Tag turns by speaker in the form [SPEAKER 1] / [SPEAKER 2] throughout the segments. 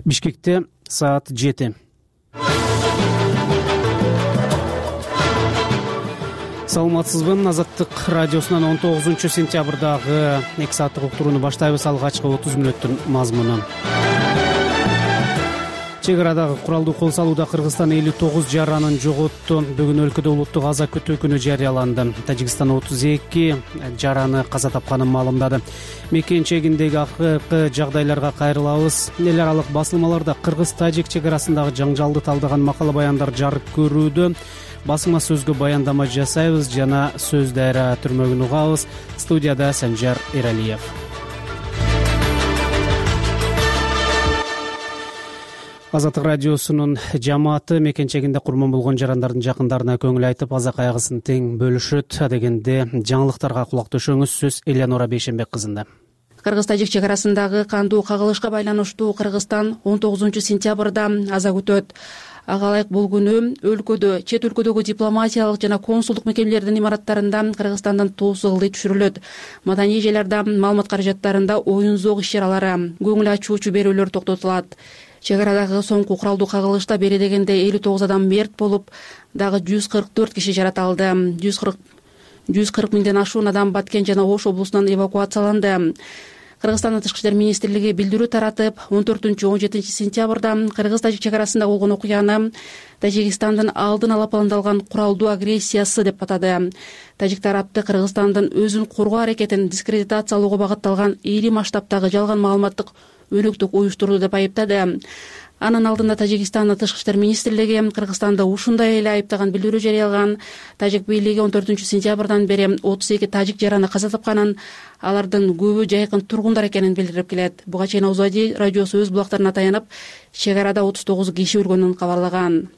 [SPEAKER 1] Бишкекте саат 7. Саламатсызбы? Азаттык радиосунан 19-сентябрдагы 2 сааттык уктурууну баштайбыз. Алгачкы 30 мүнөттүн мазмуну. Чек арадагы куралдуу кол салууда Кыргызстан 59 жаранын жоготту. Бүгүн өлкөдө улуттук аза күтүү күнү жарыяланды. Тажикстан 32 жараны каза тапканын маалымдады. Мекенчегиндеги акыркы жагдайларга кайрылабыз. Эл аралык басылмаларда кыргыз-тажик чек арасындагы жаңжалды талдаган макала баяндар жарык көрүүдө. Басма сөзгө баяндама жасайбыз жана сөз дайра түрмөгүн угабыз. Студияда Санжар Эралиев. Азаттык радиосунун жамааты мекенчегинде курман болгон жарандардын жакындарына көңүл айтып, аза кайгысын тең бөлүшөт. Дегенде жаңылыктарга кулак төшөңүз. Сөз Элеонора Бейшенбек кызында.
[SPEAKER 2] Кыргыз-тажик чек арасындагы кандуу кагылышка байланыштуу Кыргызстан 19-сентябрда аза күтөт. Ага ылайык бул күнү өлкөдө, чет өлкөдөгү дипломатиялык жана консулдук мекемелердин имараттарында Кыргызстандын туусу ылдый түшүрүлөт. Маданий жайларда, маалымат каражаттарында оюн зоок иш-чаралары, көңүл ачуучу берүүлөр токтотулат. Чек арадагы соңку куралдуу кагылышта бери дегенде 59 адам мерт болуп, дагы 144 киши жараталды. 140 миңден ашуун адам Баткен жана Ош облусунан эвакуацияланды. Кыргызстандын Тышкы иштер министрлиги билдирүү таратып, 14-17 сентябрда Кыргыз-тажик чек арасында болгон окуяны Тажикстандын алдын ала пландалган куралдуу агрессиясы деп атады. Тажик тарапты Кыргызстандын өзүн коргоо аракетин дискредитациялоого багытталган ири масштабтагы жалган маалыматтык өнөктүк уюштурду деп айыптады. Анын алдында Тажикстандын Тышкы иштер министрлиги Кыргызстанды ушундай эле айыптаган билдирүү жарыялаган. Тажик бийлиги 14-сентябрдан бери 32 тажик жараны каза тапканын, алардын көбү жайкын тургундар экенин билдирип келет. Буга чейин Озади радиосу өз булактарына таянып, чек арада 39 киши өлгөнүн кабарлаган.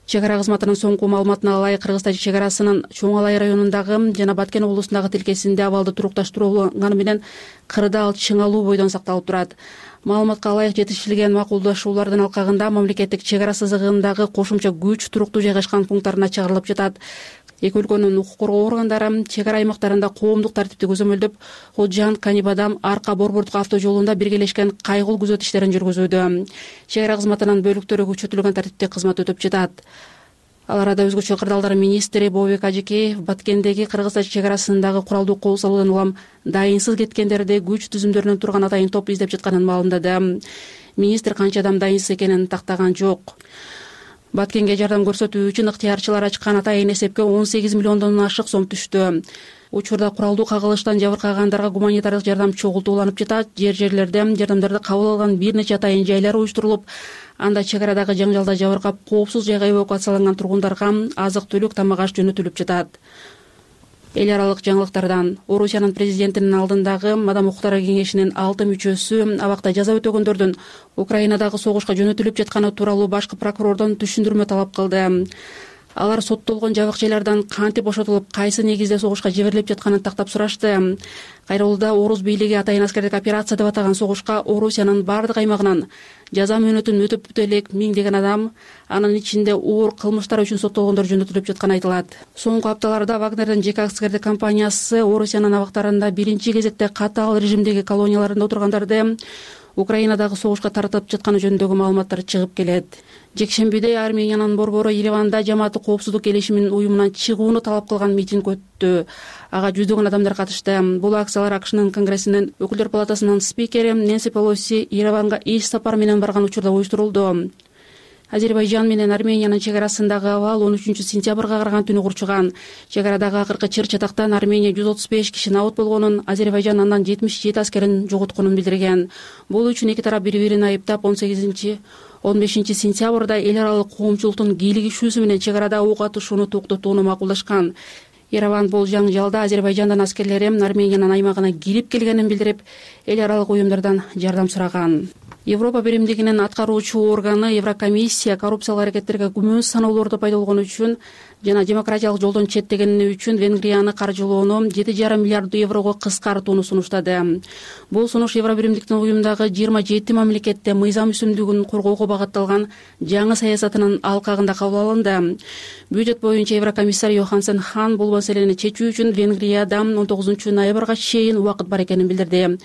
[SPEAKER 2] Чек ара кызматынын соңку маалыматына ылайык Кыргыз-тажик чек арасынын Чоң Алай районундагы жана Баткен облусундагы тилкесинде абалды турукташтырууганы менен кырдаал чыңалуу бойдон сакталып турат. Маалыматка ылайык жетишилген макулдашуулардын алкагында мамлекеттик чек ара сызыгындагы кошумча күч туруктуу жайгашкан пункттарына чыгарылып жатат. Эки өлкөнүн укук коргоо органдары чек ара аймактарында коомдук тартипти көзөмөлдөп, Ходжан, Канибадам, Арка, Борбордук автожолунда биргелешкен кайгыл күзөт иштерин жүргүзүүдө. Чек ара кызматынын бөлүктөрү күчөтүлгөн тартипте кызмат өтөп жатат. Ал арада өзгөчө кырдаалдар министри Бообек Ажекеев Баткендеги Кыргыз-тажик чек арасындагы куралдуу кол салуудан улам дайынсыз кеткендерди күч түзүмдөрүнөн турган атайын топ издеп жатканын маалымдады. Министр канча адам дайынсыз экенин тактаган жок. Баткенге жардам көрсөтүү үчүн ыктыярчылар ачкан атайын эсепке 18 миллиондон ашык сом түштү. Учурда куралдуу кагылыштан жабыркагандарга гуманитардык жардам чогултууланып жатат. Жер-жерлерде жардамдарды кабыл алган бир нече атайын жайлар уюштурулуп, анда чек арадагы жаңжалда жабыркап коопсуз жайга эвакуацияланган тургундарга азык-түлүк, тамак-аш жөнөтүлүп жатат. Эл аралык жаңылыктардан Орусиянын президентинин алдындагы Мадам укуктары кеңешинин 6 мүчөсү абакта жаза өтөгөндөрдүн Украинадагы согушка жөнөтүлүп жатканы тууралуу башкы прокурордон түшүндүрмө талап кылды. Алар соттолгон жабык-жайлардан кантип бошотулуп, кайсы негизде согушка жиберилип жатканын тактап сурашты. Кайрылууда Орус бийлиги атайын аскердик операция деп атаган согушка Орусиянын бардык аймагынан жаза мөөнөтүн өтөп бүтө элек миңдеген адам, анын ичинде оор кылмыштар үчүн соттолгондор жөнөтүлүп жатканы айтылат. Соңку апталарда Вагнердин жеке аскердик компаниясы Орусиянын абактарында биринчи кезекте катаал режимдеги колонияларында отургандарды Украинадагы согушка тартып жатканы жөнүндөгү маалыматтар чыгып келет. Жекшембиде Армениянын борбору Ереванда жамааттык коопсуздук келишиминин уюмунан чыгууну талап кылган митинг өттү. Ага жүздөгөн адамдар катышты. Бул акциялар АКШнын Конгрессинин өкүлдөр палатасынын спикери Нэнси Пелоси Ереванга иш сапар менен барган учурда уюштурулду. Азербайжан менен Армениянын чек арасындагы абал 13-сентябрга караган түнү курчуган. Чек арадагы акыркы чыр-чатактан Армения 135 киши набыт болгонун, Азербайжан андан 77 аскерин жоготконун билдирген. Бул үчүн эки тарап бири-бирин айыптап 15 сентябрда эл аралык коомчулуктун кийлигишүүсү менен чек арада ок атышууну токтотууну макулдашкан. Ереван бул жаңжалда Азербайжандан аскерлери Армениянын аймагына кирип келгенин билдирип, эл аралык уюмдардан жардам сураган. Европа биримдигинин аткаруучу органы Еврокомиссия коррупциялык аракеттерге күмөн саноолорду пайдаланганы үчүн жана демократиялык жолдон четтегени үчүн Венгрияны каржылоону 7,5 миллиард еврого кыскартууну сунуштады. Бул сунуш Евробиримдиктин уюмдагы 27 мамлекетте мыйзам үстүмдүгүн коргоого багытталган жаңы саясатынын алкагында кабыл алынды. Бюджет боюнча Еврокомиссар Йохансен Хан бул маселени чечүү үчүн Венгрияда 19 ноябрга чейин убакыт бар экенин билдирди.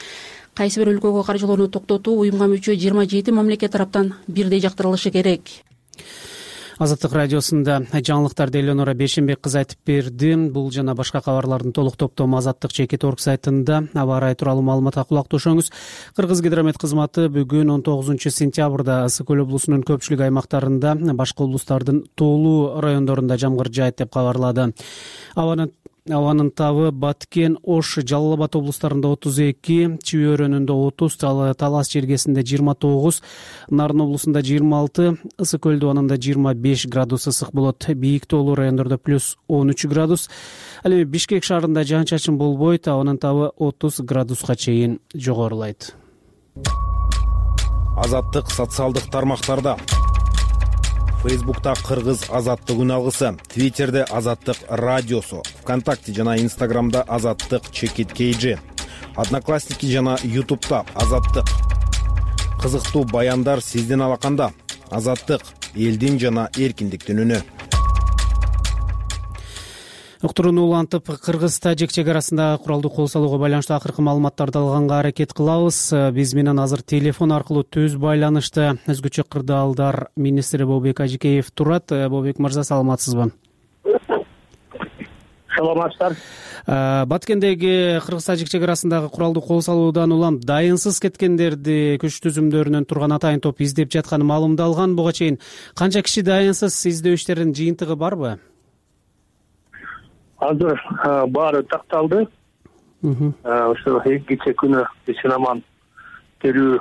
[SPEAKER 2] кайсы бир өлкөгө каржылоону токтотуу уюмга мүчө 27 мамлекет тараптан бирдей жактырылышы керек.
[SPEAKER 1] Азаттык радиосунда жаңылыктарды Элеонора Бейшенбек кызы айтып берди. Бул жана башка кабарлардын толук топтому azattik.org сайтында. Аба ырайы тууралуу маалыматка кулак тушоңуз. Кыргызгидромет кызматы бүгүн 19-сентябрда Ысык көл облусунун көпчүлүк аймактарында, башка облустардын тоолуу райондорунда жамгыр жаайт деп кабарлады. Абанын табы Баткен, Ош, Жалал Абад облустарында 32, Чүй өрөөнүндө 30, Талас жергесинде 29, Нарын облусунда 26, Ысык көл дубанында 25 градус ысык болот. Бийик тоолуу райондордо плюс 13 градус. Ал эми Бишкек шаарында жаан-чачын болбойт, абанын табы 30 градуска чейин жогорулайт.
[SPEAKER 3] Азаттык социалдык тармактарда. Фейсбукта Кыргыз азаттык үн алгысы, Твиттерде Азаттык радиосу, ВКонтакте жана Инстаграмда Азаттык ЧКТ, Одноклассники жана Ютубта Азаттык. Кызыктуу баяндар сиздин алаканда. Азаттык элдин жана эркиндиктин үнү.
[SPEAKER 1] Уктурууну улантып, Кыргыз-Тажик чек арасындагы куралдуу кол салууга байланыштуу акыркы маалыматтарды алганга аракет кылабыз. Биз менен азыр телефон аркылуу түз байланышта өзгөчө кырдаалдар министри Бообек Ажикеев турат. Бообек мырза, саламатсызбы?
[SPEAKER 4] Саламатсыздар.
[SPEAKER 1] Баткендеги Кыргыз-Тажик чек арасындагы куралдуу кол салуудан улам дайынсыз кеткендерди күч түзүмдөрүнөн турган атайын топ издеп жатканы маалымдалган. Буга чейин канча киши дайынсыз, издөө иштеринин жыйынтыгы барбы?
[SPEAKER 4] Азыр баары такталды. Ошо кече күнү Синаман терүү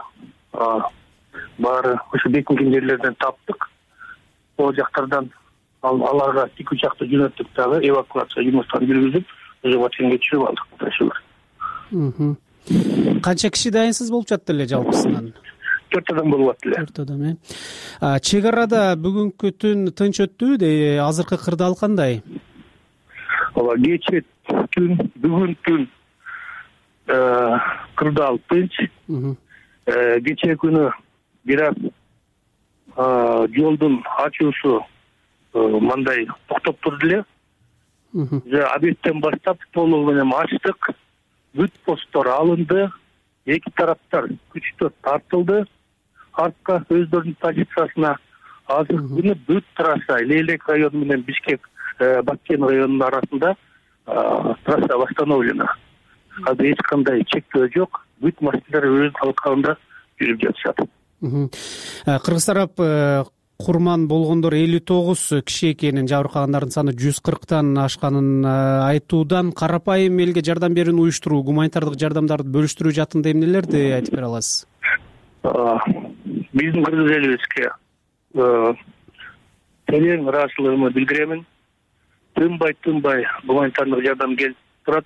[SPEAKER 4] баары ошо бекинген жерлерден таптык. Ол жактардан аларга 2 учакты жөнөттүк дагы, эвакуация жумуштарын жүргүзүп, ошо Баткенге түшүрүп алдык.
[SPEAKER 1] Канча киши дайынсыз болуп жатты эле жалпысынан?
[SPEAKER 4] 4 адам болуп атты эле.
[SPEAKER 1] 4 адам, Чек арада бүгүнкү түн тынч өттүбү? Азыркы кырдаал кандай?
[SPEAKER 4] Кече түн, бүгүн түн кырдаал тынч. Кече күнү бир аз жолдун ачуусу мындай токтоп турду эле. Обедтен баштап толугу менен ачтык. Бүт посттор алынды. Эки тараптар күчтөр тартылды. Артка өздөрүнүн позициясына. Азыр күнү бүт трасса Лейлек району менен Бишкек Баткен районунун арасында трасса восстановлена. Азыр эч кандай чектөө жок. Бүт машиналар өз алкагында жүрүп жатышат.
[SPEAKER 1] Кыргыз тарап курман болгондор 59 киши экенин, жабыркагандардын саны 140тан ашканын айтуудан, карапайым элге жардам берүүнү уюштуруу, гуманитардык жардамдарды бөлүштүрүү жаатында эмнелерди айтып бере аласыз?
[SPEAKER 4] Биздин кыргыз элибизге терең ыраазычылыгымды билдиремин. Тынбай гуманитардык жардам келип турат.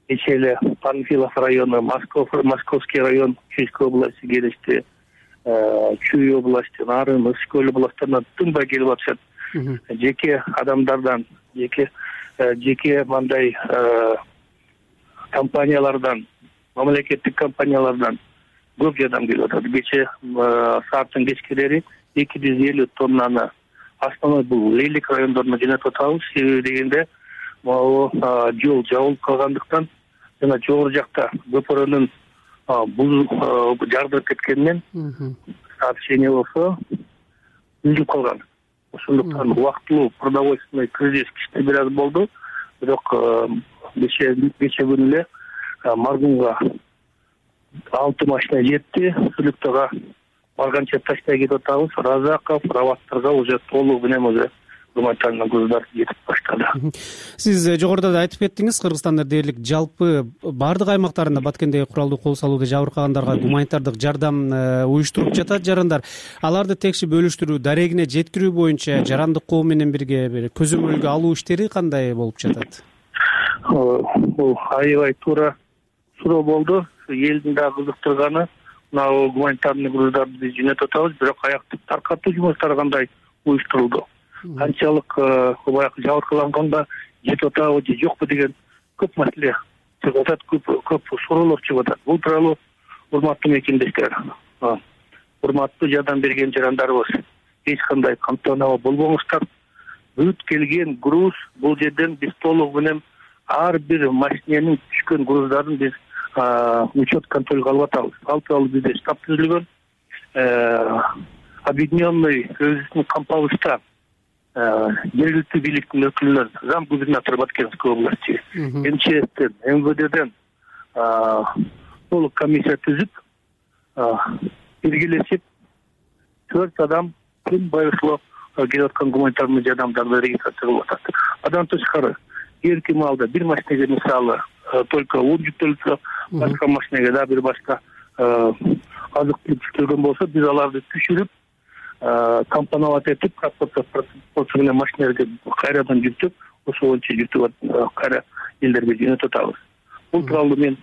[SPEAKER 4] Кече эле Панфилов району, Московский район, Чуйской области келишти. Чүй области, Нарын, Ысык көл областарынан тынбай келип атышат. Жеке адамдардан, жеке мындай компаниялардан, мамлекеттик компаниялардан көп жардам келип атат. Кече сааттын кечкелери 250 тоннаны основной бул Лейлек райондоруна жөнөтүп атабыз. Себеби дегенде жол жабылып калгандыктан жана жогору жакта көпөрөнүн бул жардырып кеткенинен сообщение болсо үзүлүп калган. Ошондуктан убактылуу продовольственный кризис кичине бир аз болду. Бирок кече күнү эле Маргунга 6 машина жетти. Сүлүктөгө барганча таштай кетип атабыз. Разаков, Раваттарга уже толугу менен уже гуманитарный груздар жетип баштады.
[SPEAKER 1] Сиз жогоруда да айтып кеттиңиз, Кыргызстанда дээрлик жалпы бардык аймактарында Баткендеги куралдуу кол салууга жабыркагандарга гуманитардык жардам уюштуруп жатат жарандар. Аларды текши бөлүштүрүү, дарегине жеткирүү боюнча жарандык коом менен бирге көзөмөлгө алуу иштери кандай болуп жатат?
[SPEAKER 4] Бул аябай туура суроо болду. Элдин да кызыктырганы мына гуманитарный груздарды биз жөнөтүп атабыз, бирок аяктык таркатуу жумуштары кандай уюштурулду? Канчалык баягы жабыркаланганда жетип атабы же жокпу деген көп маселе чыгып атат, көп суроолор чыгып атат. Бул тууралуу урматтуу мекендештер, урматтуу жардам берген жарандарыбыз, эч кандай камтануу болбоңуздар. Бүт келген груз бул жерден биз толугу менен ар бир машиненин түшкөн груздарын биз учет контролго алып атабыз. Ал тууралуу бизде штаб түзүлгөн. Объединенный кризисный кампалышта жергиликтүү бийликтин өкүлдөрү, зам губернатор Баткенской области, МЧСтен, МВДден толук комиссия түзүп, биргелешип 4 адам күн байыркылап келип аткан гуманитарный жардамдарды регистрация кылып атат. Андан тышкары эрки маалда бир машинеге мисалы только он жүктөлсө, башка машинеге да бир башка азык түлүк жүктөлгөн болсо, биз аларды түшүрүп, компоновать этип, процесс менен машинелерге кайрадан жүктөп, ошол боюнча жүктөп кайра элдерге жөнөтүп атабыз. Бул тууралуу мен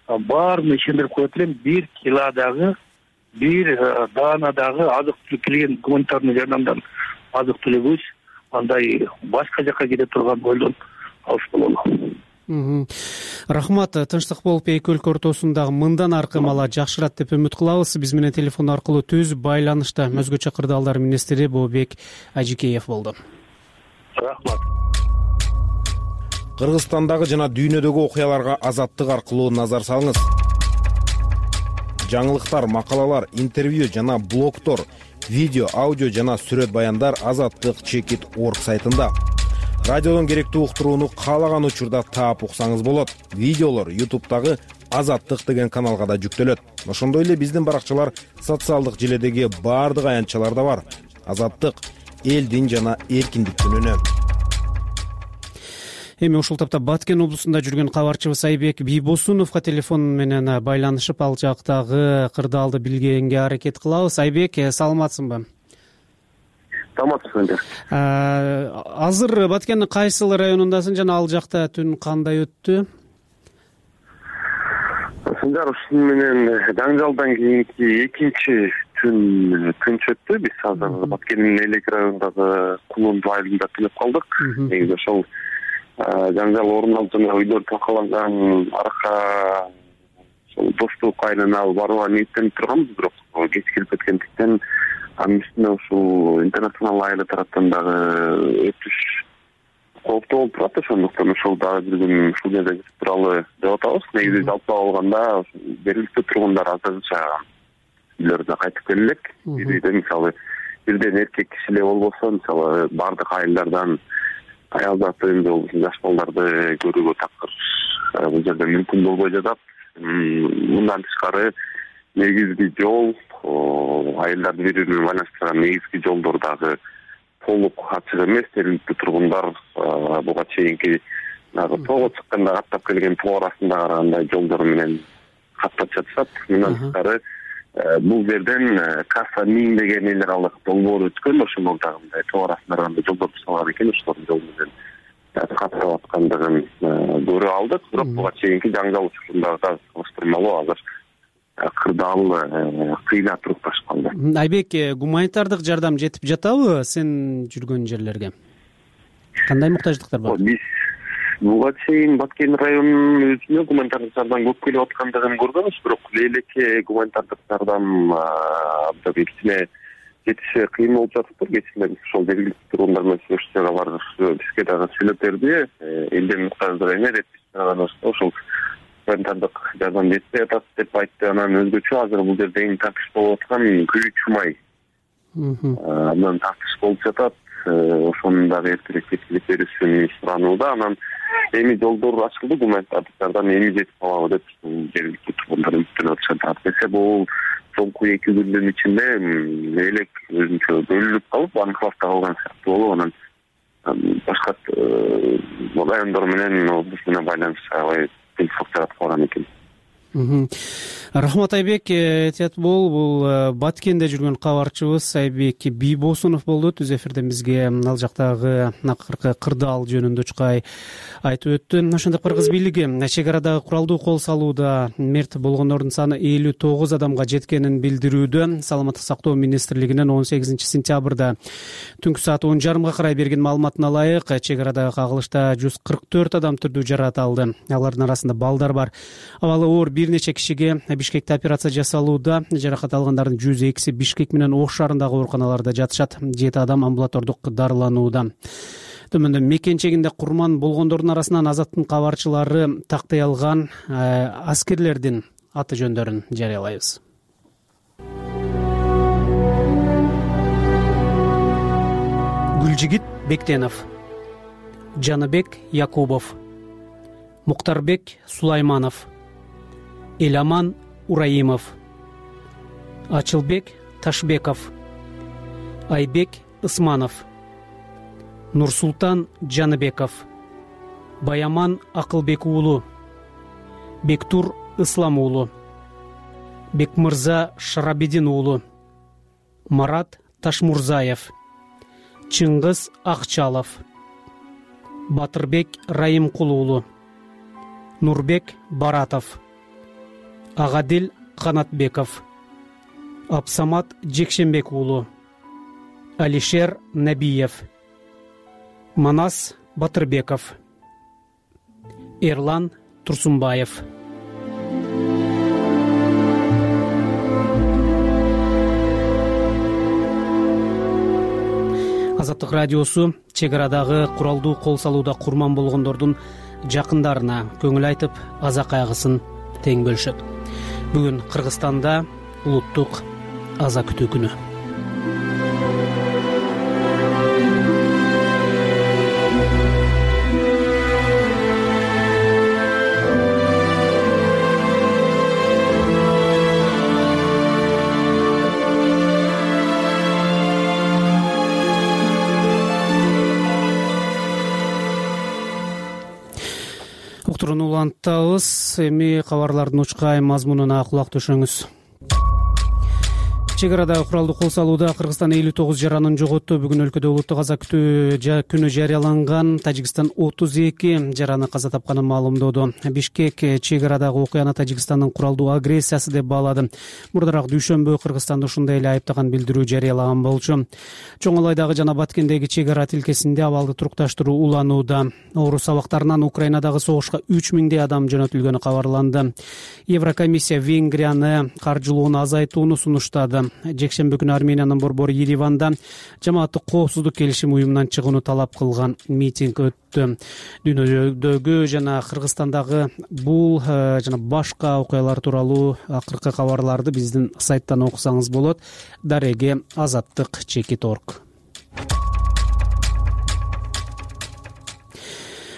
[SPEAKER 4] баарын ишендирип коет элем. 1 килодагы, 1 даанадагы азык түлүк келген гуманитарный жардамдан азык түлүгүбүз андай башка жака кете турган ойдон алыс бололу.
[SPEAKER 1] Рахмат. Тынчтык болуп эки өлкө ортосундагы мындан аркы мала жакшырат деп үмүт кылабыз. Биз менен телефон аркылуу түз байланышта өзгөчө кырдаалдар министри Бообек Ажикеев болду.
[SPEAKER 4] Рахмат.
[SPEAKER 3] Кыргызстандагы жана дүйнөдөгү окуяларга Азаттык аркылуу назар салыңыз. Жаңылыктар, макалалар, интервью жана блогтор, видео, аудио жана сүрөт баяндар azattik.org сайтында. Радиодон керектүү уктурууну каалаган учурда таап уксаңыз болот. Видеолор YouTube'дагы Азаттык деген каналга да жүктөлөт. Ошондой эле биздин баракчалар социалдык желедеги баардык аянтчаларда бар. Азаттык элдин жана эркиндиктин үнү. Эми ушул тапта Баткен облусунда жүргөн кабарчыбыз Айбек Бийбосуновго телефон менен байланышып, ал жактагы кырдаалды билгенге аракет кылабыз. Айбек, саламатсыңбы?
[SPEAKER 5] Саламатсызбы.
[SPEAKER 1] Азыр Баткендин кайсыл районундасың жана ал жакта түн кандай өттү?
[SPEAKER 5] Сындар ушун менен жаңжалдан кийинки экинчи түн өттү. Биз азыр Баткендин Элек районундагы Кулунду айылында түнөп калдык. Негизи ошол жаңжал орун алып жана үйлөр такаланган арка ошол Достук айылына барууга ниеттенип турганбыз, бирок кеч келип кеткендиктен анын үстүнө ушул интернационал айылы тараптан дагы өтүш кооптуу болуп турат. Ошондуктан ушул дагы бир күн ушул жерде жүрүп туралы деп атабыз. Негизи жалпы алганда жергиликтүү тургундар азырынча үйлөрүнө кайтып келе элек. Бирде мисалы бирден эркек киши эле болбосо, мисалы бардык айылдардан аял затын же болбосо жаш балдарды көрүүгө такыр бул жерде мүмкүн болбой жатат. Мындан тышкары негизги жол, айылдарды бири-бири байланыштырган негизги жолдор дагы толук ачык эмес. Жергиликтүү тургундар буга чейинки тоого чыкканда каттап келген тоо арасында караганда жолдор менен каттап жатышат. Мындан тышкары бул жерден Касса 1000 деген эл аралык долбоор өткөн. Ошондо дагы мындай тоо арасында караганда жолдор салган экен. Ошолордун жол менен каттап аткандыгын көрүп алдык. Бирок буга чейинки жаңжал учурундагы салыштырмалуу азыр кырдаал кыйла туруп башталды.
[SPEAKER 1] Айбек, гуманитардык жардам жетип жатабы сен жүргөн жерлерге? Кандай муктаждыктар бар?
[SPEAKER 5] Биз буга чейин Баткен районунун өзүнө гуманитардык жардам көп келип аткандыгын көргөнбүз, бирок Элекке гуманитардык жардам кичине жетише кыйын болуп жатыптыр. Кечинде биз ошол жергиликтүү тургундар менен сүйлөшүүгө барып бизге дагы сүйлөп берди. Элдин муктаждыгы эмне деп ошол гуманитардык жардам жетпей атат деп айтты. Анан өзгөчө азыр бул жерде эң тартыш болуп аткан Күйүүчү май. Анан тартыш болуп жатат. Ошонун дагы эртерээк жеткирип берүүсүн суранууда. Анан эми жолдор ачылды, гуманитардык жардам эми жетип калабы деп жергиликтүү тургундар үмүттөнүп атышат. Десе бул соңку 2 күндүн ичинде Элек өзүнчө бөлүнүп калып, анклавда калган сыяктуу болуп, анан башка райондор менен облус менен байланышта кыйынчылык жаратып калган экен.
[SPEAKER 1] Рахмат Айбек, этият бол. Бул Баткенде жүргөн кабарчыбыз Айбек Бийбосунов болду. Түз эфирден бизге ал жактагы акыркы кырдаал жөнүндө чукай айтып өттү. Ошондой Кыргыз бийлиги чек арадагы куралдуу кол салууда мерт болгондордун саны 59 адамга жеткенин билдирүүдө. Саламаттык сактоо министрлигинин 18 сентябрда түнкү саат 10:30 карай берген маалыматына ылайык, чек арадагы кагылышта 144 адам түрдүү жарат алды. Алардын арасында балдар бар. Абалы оор бир нече кишиге Бишкекте операция жасалууда. Жаракат алгандардын 102си Бишкек менен Ош шаарындагы ооруканаларда жатышат. 7 адам амбулатордук дарыланууда. төмөндө мекенчегинде курман болгондордун арасынан Азаттын кабарчылары тактай алган аскерлердин аты жөндөрүн жарыялайбыз. Гүлжигит Бектенов, Жаныбек Якубов, Муктарбек Сулайманов, Эламан Ураимов, Ачылбек Ташбеков, Айбек Ысманов, Нурсултан Жаныбеков, Баяман Акылбек уулу, Бектур Ислам уулу, Бекмырза Шарабидин уулу, Марат Ташмурзаев, Чыңгыз Акчалов, Батырбек Раимкул уулу, Нурбек Баратов, Агадил Канатбеков, Абсамат Жекшенбек уулу, Алишер Набиев, Манас Батырбеков, Эрлан Турсунбаев. Азаттык радиосу чек арадагы куралдуу кол салууда курман болгондордун жакындарына көңүл айтып, аза кайгысын тең бөлүшөт. Бүгүн Кыргызстанда улуттук аза күтүү күнү. Уктурууну улантабыз. Эми кабарлардын учкай мазмунуна кулак төшөңүз. Чек арадагы куралдуу кол салууда Кыргызстан 59 жаранын жоготту. Бүгүн өлкөдө улуттук аза күтүү күнү жарыяланган. Тажикстан 32 жараны каза тапканын маалымдоодо. Бишкек чек арадагы окуяны Тажикстандын куралдуу агрессиясы деп баалады. Мурдараак дүйшөмбү Кыргызстанды ушундай эле айыптаган билдирүү жарыялаган болчу. Чоң Алайдагы жана Баткендеги чек ара тилкесинде абалды турукташтыруу уланууда. Орус абактарынан Украинадагы согушка 3000 адам жөнөтүлгөнү кабарланды. Еврокомиссия Венгрияны каржылоону азайтууну сунуштады. Жекшембү күнү Армениянын борбору Ереванда жамааттык коопсуздук келишим уюмунан чыгууну талап кылган митинг өттү. Дүйнөдөгү жана Кыргызстандагы бул жана башка окуялар тууралуу акыркы кабарларды биздин сайттан окусаңыз болот. Дареги azаттык.org.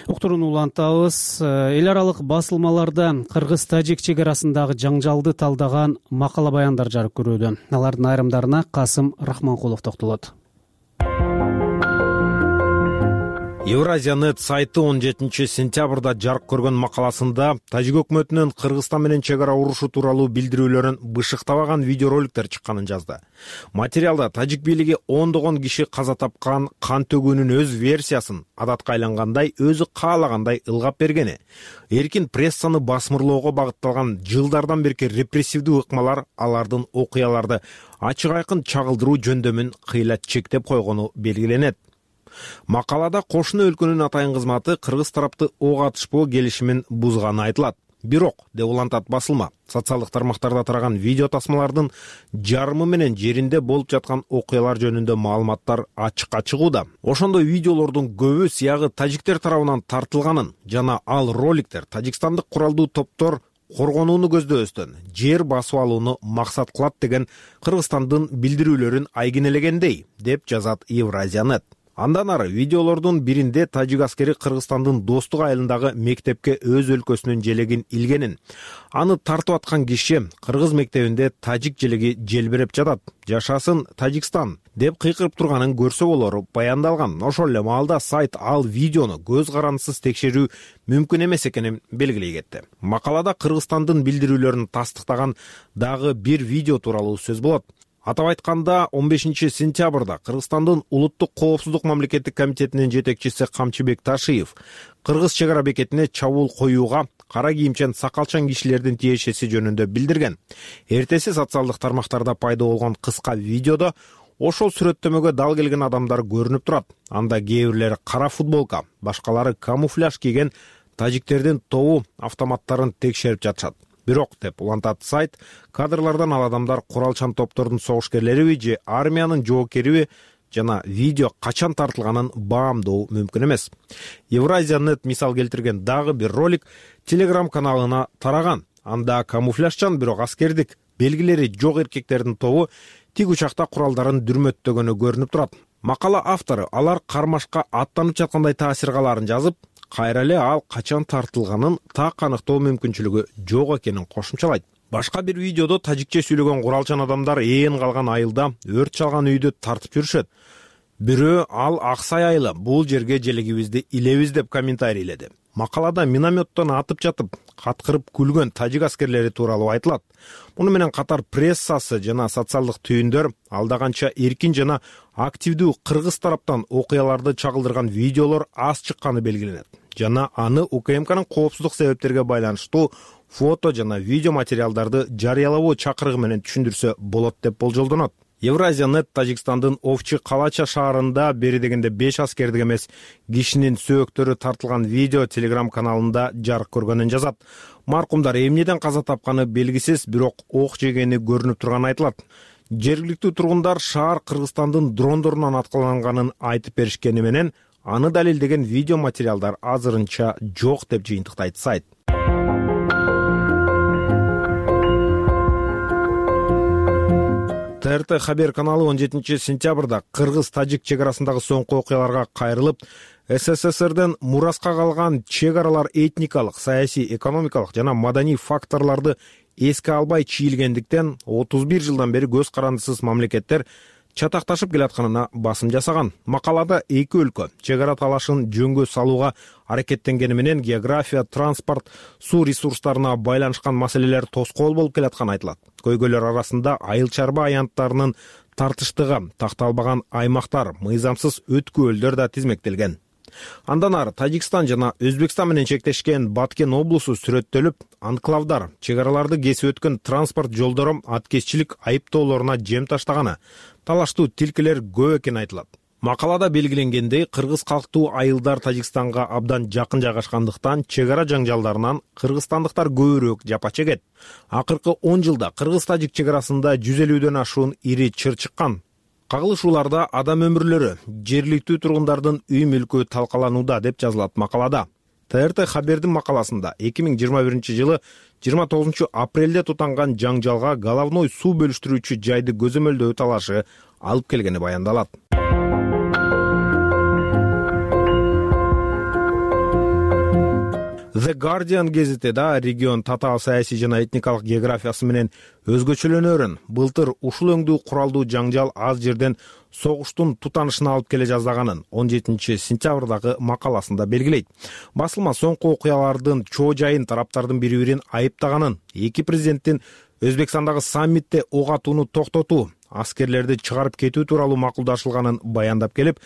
[SPEAKER 1] Уктурууну улантабыз. Эл аралык басылмаларда кыргыз-тажик чек арасындагы жаңжалды талдаган макала баяндар жарык көрүүдө. Алардын айрымдарына Касым Рахманкулов токтолот.
[SPEAKER 3] Евразия.нет сайты 17 сентябрда жарык көргөн макаласында Тажик өкмөтүнүн Кыргызстан менен чек ара урушу тууралуу билдирүүлөрүн бышыктабаган видеороликтер чыкканын жазды. Материалда тажик бийлиги ондогон киши каза тапкан кан төгүүнүн өз версиясын адатка айлангандай өзү каалагандай ылгап бергени, эркин прессаны басмырлоого багытталган жылдардан берки репрессивдүү ыкмалар алардын окуяларды ачык айкын чагылдыруу жөндөмүн кыйла чектеп койгону белгиленет. Макалада кошуна өлкөнүн атайын кызматы кыргыз тарапты ок атышпоо келишимин бузганы айтылат. Бирок, деп улантат басылма, социалдык тармактарда тараган видео тасмалардын жарымы менен жеринде болуп жаткан окуялар жөнүндө маалыматтар ачыкка чыгууда. Ошондой видеолордун көбү сыягы тажиктер тарабынан тартылганын жана ал роликтер тажикстандык куралдуу топтор коргонууну көздөбөстөн жер басып алууну максат кылат деген Кыргызстандын билдирүүлөрүн айгинелегендей, деп жазат Евразия.нет. Андан ары видеолордун биринде тажик аскери Кыргызстандын Достук айылындагы мектепке өз өлкөсүнүн желегин илгенин, аны тартып аткан киши кыргыз мектебинде тажик желеги желбиреп жатат, жашасын Тажикстан деп кыйкырып турганын көрсө болору баяндалган. Ошол эле маалда сайт ал видеону көз карандысыз текшерүү мүмкүн эмес экенин белгилей кетти. Макалада Кыргызстандын билдирүүлөрүн тастыктаган дагы бир видео тууралуу сөз болот. Атап айтканда 15 сентябрда Кыргызстандын улуттук коопсуздук мамлекеттик комитетинин жетекчиси Камчыбек Ташиев кыргыз чек ара бекетине чабуул коюуга кара кийимчен сакалчан кишилердин тиешеси жөнүндө билдирген. Эртеси социалдык тармактарда пайда болгон кыска видеодо ошол сүрөттөмөгө дал келген адамдар көрүнүп турат. Анда кээ бирлери кара футболка, башкалары камуфляж кийген тажиктердин тобу автоматтарын текшерип жатышат. Бирок, деп улантат сайт, кадрлардан ал адамдар куралчан топтордун согушкерлериби же армиянын жоокериби жана видео качан тартылганын баамдоо мүмкүн эмес. Евразия.нет мисал келтирген дагы бир ролик Telegram каналына тараган. Анда камуфляжчан бирок аскердик белгилери жок эркектердин тобу тик учакта куралдарын дүрмөттөгөнү көрүнүп турат. Макала автору алар кармашка аттанып жаткандай таасир калаарын жазып, кайра эле ал качан тартылганын так аныктоо мүмкүнчүлүгү жок экенин кошумчалайт. Башка бир видеодо тажикче сүйлөгөн куралчан адамдар ээн калган айылда өрт чалган үйдү тартып жүрүшөт. Бирөө ал аксай айылы, бул жерге желегибизди илебиз деп комментарийледи. Макалада минометтон атып жатып, каткырып күлгөн тажик аскерлери тууралуу айтылат. Муну менен катар прессасы жана социалдык түйүндөр алда канча эркин жана активдүү кыргыз тараптан окуяларды чагылдырган видеолор аз чыкканы белгиленет. Жана аны УКМКнын коопсуздук себептерге байланыштуу фото жана видео материалдарды жарыялабоо чакырыгы менен түшүндүрсө болот деп болжолдонот. Евразия.нет Тажикстандын Овчи Калача шаарында бери дегенде 5 аскердик эмес кишинин сөөктөрү тартылган видео Telegram каналында жарык көргөнүн жазат. Маркумдар эмнеден каза тапканы белгисиз, бирок ок жегени көрүнүп турганы айтылат. Жергиликтүү тургундар шаар Кыргызстандын дрондорунан аткыланганын айтып беришкени менен аны далилдеген видео материалдар азырынча жок деп жыйынтыктайт сайт. ТРТ Хабер каналы 17 сентябрда Кыргыз-Тажик чек арасындагы соңку окуяларга кайрылып, СССРден мураска калган чек аралар этникалык, саясий, экономикалык жана маданий факторлорду эске албай чийилгендиктен 31 жылдан бери көз карандысыз мамлекеттер чатакташып келатканына басым жасаган. Макалада эки өлкө чек ара талашын жөнгө салууга аракеттенгени менен география, транспорт, суу ресурстарына байланышкан маселелер тоскоол болуп келатканы айтылат. Көйгөйлөр арасында айыл чарба аянттарынын тартыштыгы, такталбаган аймактар, мыйзамсыз өткөөлдөр да тизмектелген. Андан ары Тажикстан жана Өзбекстан менен чектешкен Баткен облусу сүрөттөлүп, анклавдар, чек араларды кесип өткөн транспорт жолдору аткезчилик айыптоолоруна жем таштаганы, талаштуу тилкелер көп экени айтылат. Макалада белгиленгендей, кыргыз калктуу айылдар Тажикстанга абдан жакын жайгашкандыктан чек ара жаңжалдарынан кыргызстандыктар көбүрөөк жапа чегет. Акыркы 10 жылда кыргыз-тажик чек арасында 150дөн ашуун ири чыр чыккан. Кагылышууларда адам өмүрлөрү, жергиликтүү тургундардын үй мүлкү талкаланууда деп жазылат макалада. ТРТ Хабердин макаласында 2021 жылы 29 апрелде тутанган жаңжалга головной суу бөлүштүрүүчү жайды көзөмөлдөө талашы алып келгени баяндалат. The Guardian гезити да регион татаал саясий жана этникалык географиясы менен өзгөчөлөнөрүн, былтыр ушул өңдүү куралдуу жаңжал аз жерден согуштун тутанышына алып келе жаздаганын 17 сентябрдагы макаласында белгилейт. Басылма соңку окуялардын чоо жайын тараптардын бири-бирин айыптаганын, эки президенттин Өзбекстандагы саммитте ок атууну токтотуу, аскерлерди чыгарып кетүү тууралуу макулдашылганын баяндап келип,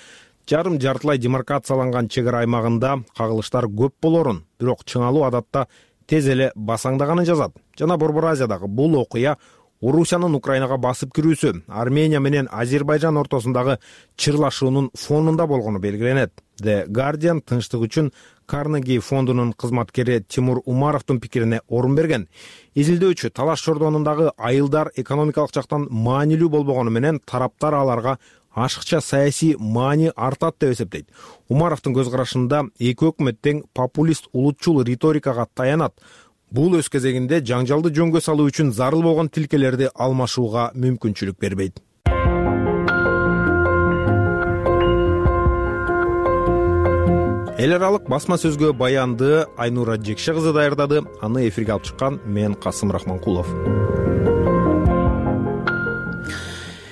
[SPEAKER 3] жарым-жартылай демаркацияланган чек ара аймагында кагылыштар көп болорун, бирок чыңалуу адатта тез эле басаңдаганын жазат. Жана Борбор Азиядагы бул окуя Орусиянын Украинага басып кирүүсү, Армения менен Азербайжан ортосундагы чырлашуунун фонунда болгону белгиленет. The Guardian тынчтык үчүн Карнеги фондунун кызматкери Тимур Умаровдун пикирине орун берген. Изилдөөчү талаш чордонундагы айылдар экономикалык жактан маанилүү болбогону менен тараптар аларга ашыкча саясий маани артат деп эсептейт. Умаровдун көз карашында эки өкмөт тең популист улутчул риторикага таянат. Бул өз кезегинде жаңжалды жөнгө салуу үчүн зарыл болгон тилкелерди алмашууга мүмкүнчүлүк бербейт. Эл аралык басма сөзгө баянды Айнура Жекше кызы даярдады. Аны эфирге алып чыккан мен Касым Рахманкулов.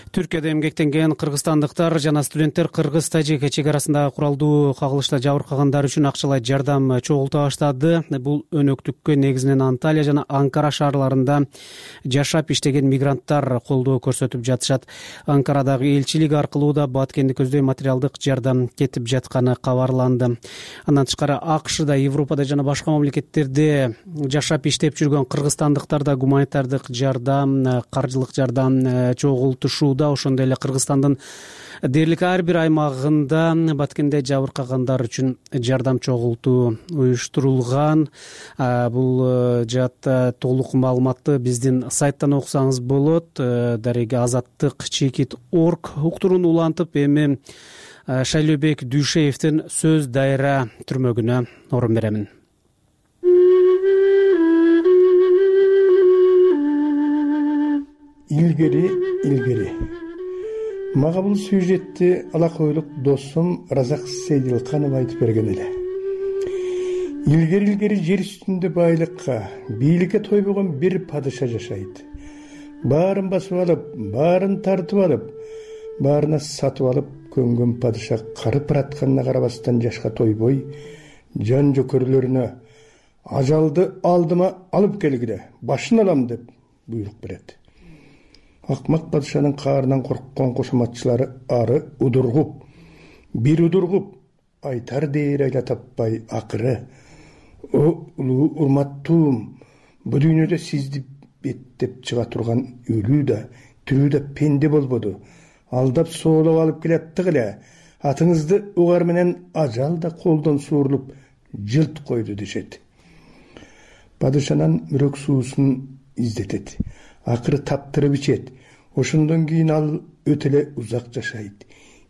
[SPEAKER 1] Түркияда эмгектенген кыргызстандыктар жана студенттер кыргыз-тажик чек арасындагы куралдуу кагылышта жабыркагандар үчүн акчалай жардам чогулта баштады. Бул өнөктүккө негизинен Анталия жана Анкара шаарларында жашап иштеген мигранттар колдоо көрсөтүп жатышат. Анкарадагы элчилик аркылуу да Баткенди көздөй материалдык жардам кетип жатканы кабарланды. Андан тышкары АКШда, Европада жана башка мамлекеттерде жашап иштеп жүргөн кыргызстандыктар да гуманитардык жардам, каржылык жардам чогултушууда. ошондой эле Кыргызстандын дээрлик ар бир аймагында баткенде жабыркагандар үчүн жардам чогултуу уюштурулган. Бул жаатта толук маалыматты биздин сайттан окусаңыз болот. Дареге Азаттык чекит орг уктуруун улантып, эми Шайлообек Дүйшеевдин сөз дайра түрмөгүнө орун беремин.
[SPEAKER 6] Илгери мага бул сюжетти алакойлук досум Разак Сейдилканов айтып берген эле. Илгери жер үстүндө байлыкка, бийликке тойбогон бир падыша жашайт. Баарын басып алып, баарын тартып алып, баарына сатып алып көнгөн падыша карып баратканына карабастан жашка тойбой, жан жөкөрлөрүнө ажалды алдыма алып келгиле, башын алам деп буйрук берет. Акмак падышанын каарынан корккон кошоматчылары ары удургуп, бир удургуп, айтар дээр айла таппай акыры: "О улуу урматтуум, бу дүйнөдө сизди беттеп чыга турган өлүү да, тирүү да пенде болбоду. Алдап соолоп алып келаттык эле. Атыңызды угар менен ажал да колдон суурулуп жылт койду" дешет. Падышанын мүрөк суусун издетет. Акыры таптырып ичет. Ошондон кийин ал өтө эле узак жашайт.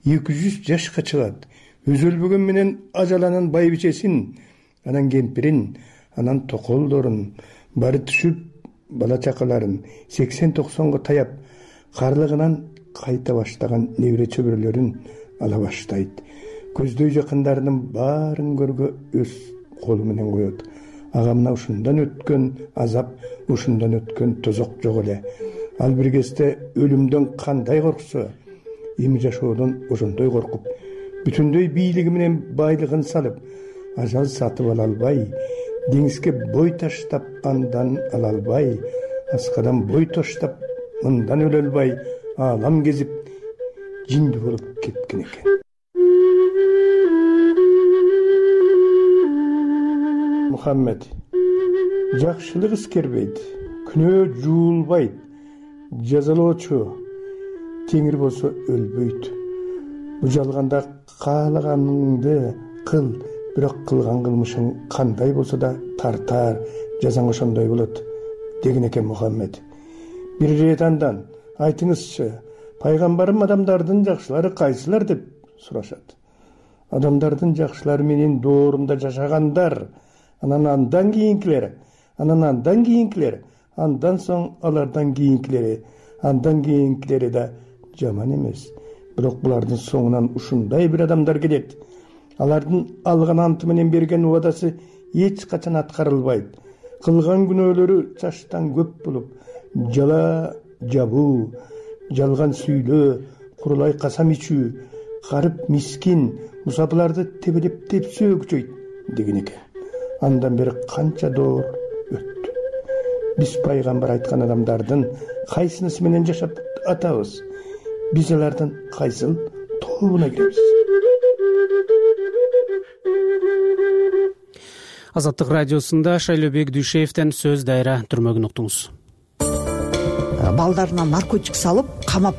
[SPEAKER 6] 200 жашка чыгат. Өзөлбөгөн менен ажаланын байбичесин, анан кемпирин, анан токолдорун, бары түшүп бала чакаларын 80-90го таяп, карлыгынан кайта баштаган небере чөбүрөлөрүн ала баштайт. Көздөй жакындарынын баарын көргө өз колу менен коет. Ага мына ушундан өткөн азап, ушундан өткөн тозок жок эле. Ал бир кезде өлүмдөн кандай корксо, эми жашоодон ошондой коркуп, бүтүндөй бийлиги менен байлыгын салып, ажал сатып ала албай, деңизге бой таштап андан ала албай, аскадан бой таштап мындан өлө албай, аалам кезип жинди болуп кеткен экен. Мухаммед: жакшылык искербейт, күнөө жуулбайт, жазалоочу теңир болсо өлбөйт. Бу жалганда каалаганыңды кыл, бирок кылган кылмышың кандай болсо да тартар, жазаң ошондой болот деген экен Мухаммед. Бир ирет андан: айтыңызчы, пайгамбарым адамдардын жакшылары кайсылар деп сурашат. Адамдардын жакшылары менин доорумда жашагандар, андан кийинкилер, андан соң алардан кийинкилери да жаман эмес. Бирок булардын соңунан ушундай бир адамдар келет. Алардын алган анты менен берген убадасы эч качан аткарылбайт. Кылган күнөөлөрү чаштан көп болуп, жала жабуу, жалган сүйлөө, курулай касам ичүү, карып мискин, мусапыларды тебелеп-тепсөө күчөйт деген экен. Андан бери канча доор өттү. Биз пайгамбар айткан адамдардын кайсынысы менен жашап атабыз? Биз алардын кайсыл тобуна киребиз?
[SPEAKER 1] Азаттык радиосунда Шайлообек Дүйшеевден сөз дайра түрмөгүн уктуңуз.
[SPEAKER 7] Балдарына наркотик салып, камап,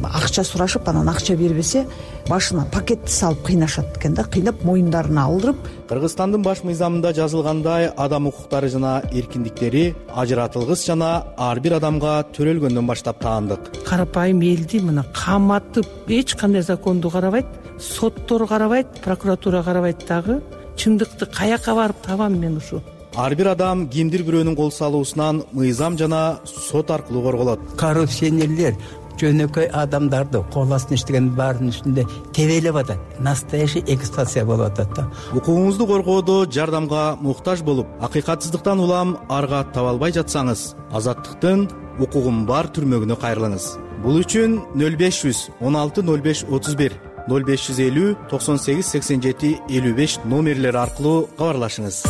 [SPEAKER 7] акча сурашып, анан акча бербесе, башына пакетти салып кыйнашат экен да, кыйнап моюндарына алдырып.
[SPEAKER 8] Кыргызстандын баш мыйзамында жазылгандай, адам укуктары жана эркиндиктери ажыратылгыс жана ар бир адамга төрөлгөндөн баштап таандык.
[SPEAKER 9] Карапайым элди мына каматып, эч кандай законду карабайт, соттор карабайт, прокуратура карабайт дагы. Чындыкты каяка барып табам мен ушу?
[SPEAKER 8] Ар бир адам кимдир бирөөнүн кол салуусунан мыйзам жана сот аркылуу корголот.
[SPEAKER 10] Коррупционерлер жөнөкөй адамдарды кол астына иштеген баарынын үстүндө тебелеп атат. Настоящий эксплуатация болуп атат да.
[SPEAKER 8] Укугуңузду коргоодо жардамга муктаж болуп, акыйкатсыздыктан улам арга таба албай жатсаңыз, Азаттыктын укугум бар түрмөгүнө кайрылыңыз. Бул үчүн 0500 16 05 31 0550 98 87 55 номерлери аркылуу кабарлашыңыз.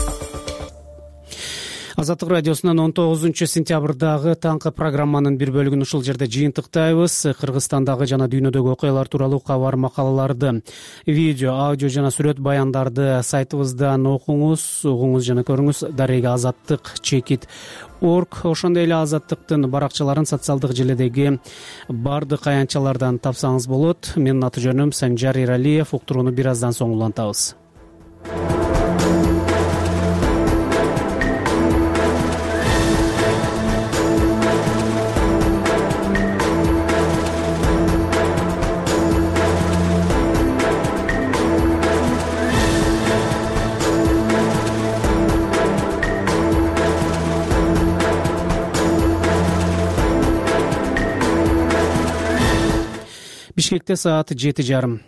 [SPEAKER 1] Азаттык радиосунун 19-сентябрдагы таңкы программанын бир бөлүгүн ушул жерде жыйынтыктайбыз. Кыргызстандагы жана дүйнөдөгү окуялар тууралуу кабар, макалаларды, видео, аудио жана сүрөт баяндарды сайтыбыздан окуңуз, угуңуз жана көрүңүз. Дарега azattik.org. Ошондой эле Азаттыктын баракчаларын социалдык желедеги бардык аянтчалардан тапсаңыз болот. Менин аты жөнүм Санжар Эралиев. Уктурууну бир аздан соң улантабыз. Бишкекте саат 7:30.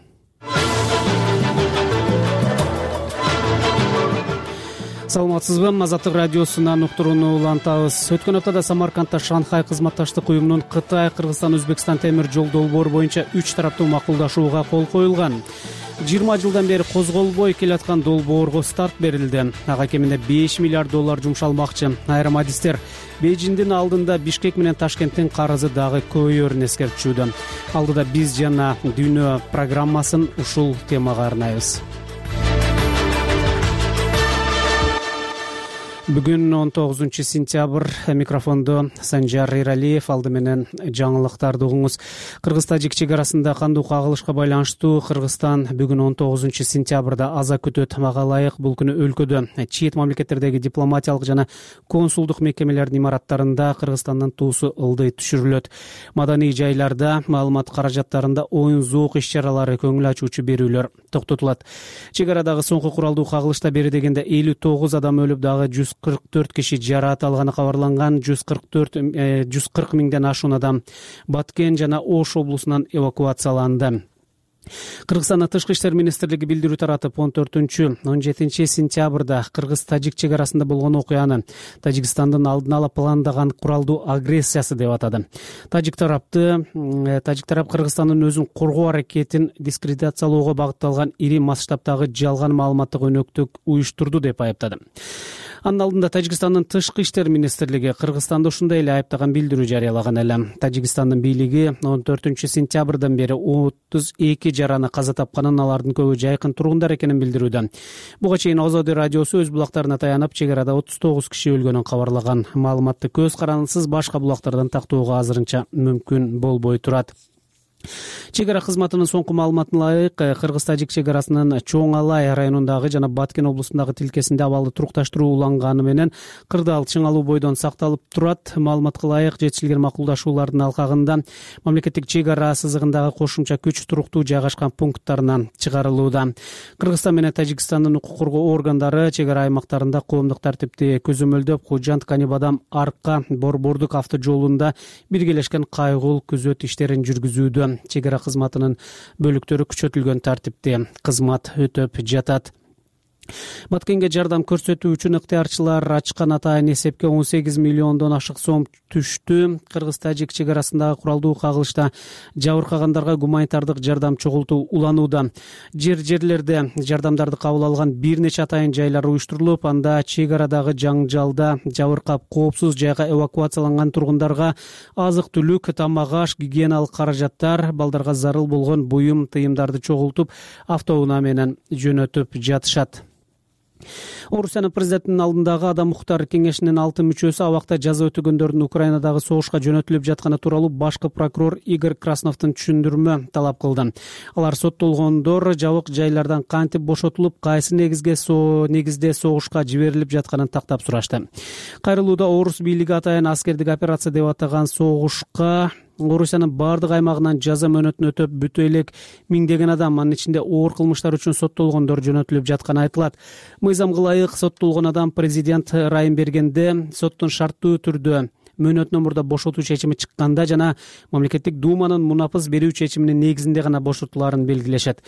[SPEAKER 1] Саламатсызбы? Азаттык радиосунан уктурууну улантабыз. Өткөн аптада Самаркандда Шанхай кызматташтык уюмунун Кытай, Кыргызстан, Өзбекстан темир жол долбоору боюнча 3 тараптуу макулдашууга кол коюлган. 20 жылдан бери козголбой келаткан долбоорго старт берилди. Ага кеминде $5 миллиард жумшалмакчы. Айрым адистер Бейжиңдин алдында Бишкек менен Ташкенттин карызы дагы көбөйөрүн эскертчүдө. Алдыда биз жана дүйнө программасын ушул темага арнайбыз. Бүгүн 19-сентябрь. Микрофондо Санжар Эралиев. Алды менен жаңылыктарды угуңуз. Кыргыз-Тажик чек арасында кандуу кагылышка байланыштуу Кыргызстан бүгүн 19-сентябрда аза күтөт. Мага ылайык бул күнү өлкөдө чет мамлекеттердеги дипломатиялык жана консулдук мекемелердин имараттарында Кыргызстандын туусу ылдый түшүрүлөт. Маданий жайларда, маалымат каражаттарында оюн зоок иш-чаралары, көңүл ачуучу берүүлөр токтотулат. Чек арадагы соңку куралдуу кагылышта бери дегенде 59 адам өлүп, дагы 144 киши жараат алганы кабарланган. 140 миңден ашуун адам Баткен жана Ош облусунан эвакуацияланды. Кыргызстандын Тышкы иштер министрлиги билдирүү таратып, 14-17 сентябрда Кыргыз-Тажик чек арасында болгон окуяны Тажикстандын алдын ала пландаган куралдуу агрессиясы деп атады. Тажик тарап Кыргызстандын өзүн коргоо аракетин дискредитациялоого багытталган ири масштабтагы жалган маалыматтык өнөктүк уюштурду деп айыптады. Анын алдында Тажикстандын Тышкы иштер министрлиги Кыргызстанды ушундай эле айыптаган билдирүү жарыялаган эле. Тажикстандын бийлиги 14-сентябрдан бери 32 жараны каза тапканын, алардын көбү жайкын тургундар экенин билдирүүдө. Буга чейин Озоди радиосу өз булактарына таянып, чек арада 39 киши өлгөнүн кабарлаган. Маалыматты көз карандысыз башка булактардан тактоого азырынча мүмкүн болбой турат. Чек ара кызматынын соңку маалыматына ылайык, Кыргыз-Тажик чек арасынын Чоң Алай районундагы жана Баткен облусундагы тилкесинде абалды турукташтыруу уланганы менен кырдаал чыңалуу бойдон сакталып турат. Маалыматка ылайык, жетишилген макулдашуулардын алкагында мамлекеттик чек ара сызыгындагы кошумча күч туруктуу жайгашкан пункттарынан чыгарылууда. Кыргызстан менен Тажикстандын укук коргоо органдары чек ара аймактарында коомдук тартипти көзөмөлдөп, Кожант Канибадан Арка Борбордук автожолунда биргелешкен кайгыл күзөт иштерин жүргүзүүдө. Чек ара кызматынын бөлүктөрү күчөтүлгөн тартипте кызмат өтөп жатат. Баткенге жардам көрсөтүү үчүн ыктыярчылар ачкан атайын эсепке 18 миллиондон ашык сом түштү. Кыргыз-Тажик чек арасындагы куралдуу кагылышта жабыркагандарга гуманитардык жардам чогултуу уланууда. Жерлерде жардамдарды кабыл алган бир нече атайын жайлар уюштурулуп, анда чек арадагы жаңжалда жабыркап коопсуз жайга эвакуацияланган тургундарга азык-түлүк, тамак-аш, гигиеналык каражаттар, балдарга зарыл болгон буюм, тыйымдарды чогултуп, автоунаа менен жөнөтүп жатышат. Орусиянын президентинин алдындагы Адам укуктар кеңешинин 6 мүчөсү абакта жаза өтөгөндөрдүн Украинадагы согушка жөнөтүлүп жатканы тууралуу башкы прокурор Игорь Красновдун түшүндүрмө талап кылды. Алар соттолгондор жабык жайлардан кантип бошотулуп, кайсы негизде согушка жиберилип жатканын тактап сурашты. Кайрылууда орус бийлиги атайын аскердик операция деп атаган согушка Орусиянын бардык аймагынан жаза мөөнөтүн өтөп бүтө элек миңдеген адам, анын ичинде оор кылмыштар үчүн соттолгондор жөнөтүлүп жатканы айтылат. Мыйзамга ылайык соттолгон адам президент ырайым бергенде, соттун шарттуу түрдө мөөнөтүнөн мурда бошотуу чечими чыкканда жана мамлекеттик думанын мунапыс берүү чечиминин негизинде гана бошотулаарын белгилешет.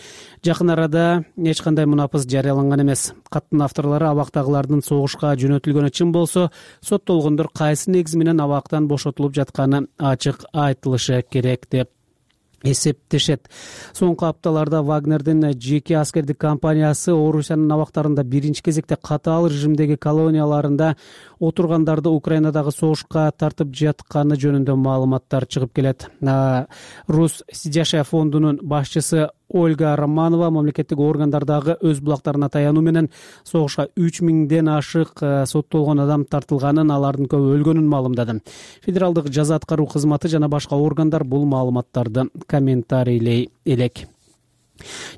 [SPEAKER 1] Жакын арада эч кандай мунапыс жарыяланган эмес. Каттын авторлору абактагылардын согушка жөнөтүлгөнү чын болсо, соттолгондор кайсы негиз менен абактан бошотулуп жатканы ачык айтылышы керек деп эсептешет. Соңку апталарда Вагнердин жеке аскердик компаниясы Орусиянын абактарында биринчи кезекте катаал режимдеги колонияларында отургандарды Украинадагы согушка тартып жатканы жөнүндө маалыматтар чыгып келет. Рус Сидяшия фондунун башчысы Ольга Романова мамлекеттик органдардагы өз булактарына таянуу менен согушка 3000ден ашык соттолгон адам тартылганын, алардын көбү өлгөнүн маалымдады. Федералдык жаза аткаруу кызматы жана башка органдар бул маалыматтарды комментарийлей элек.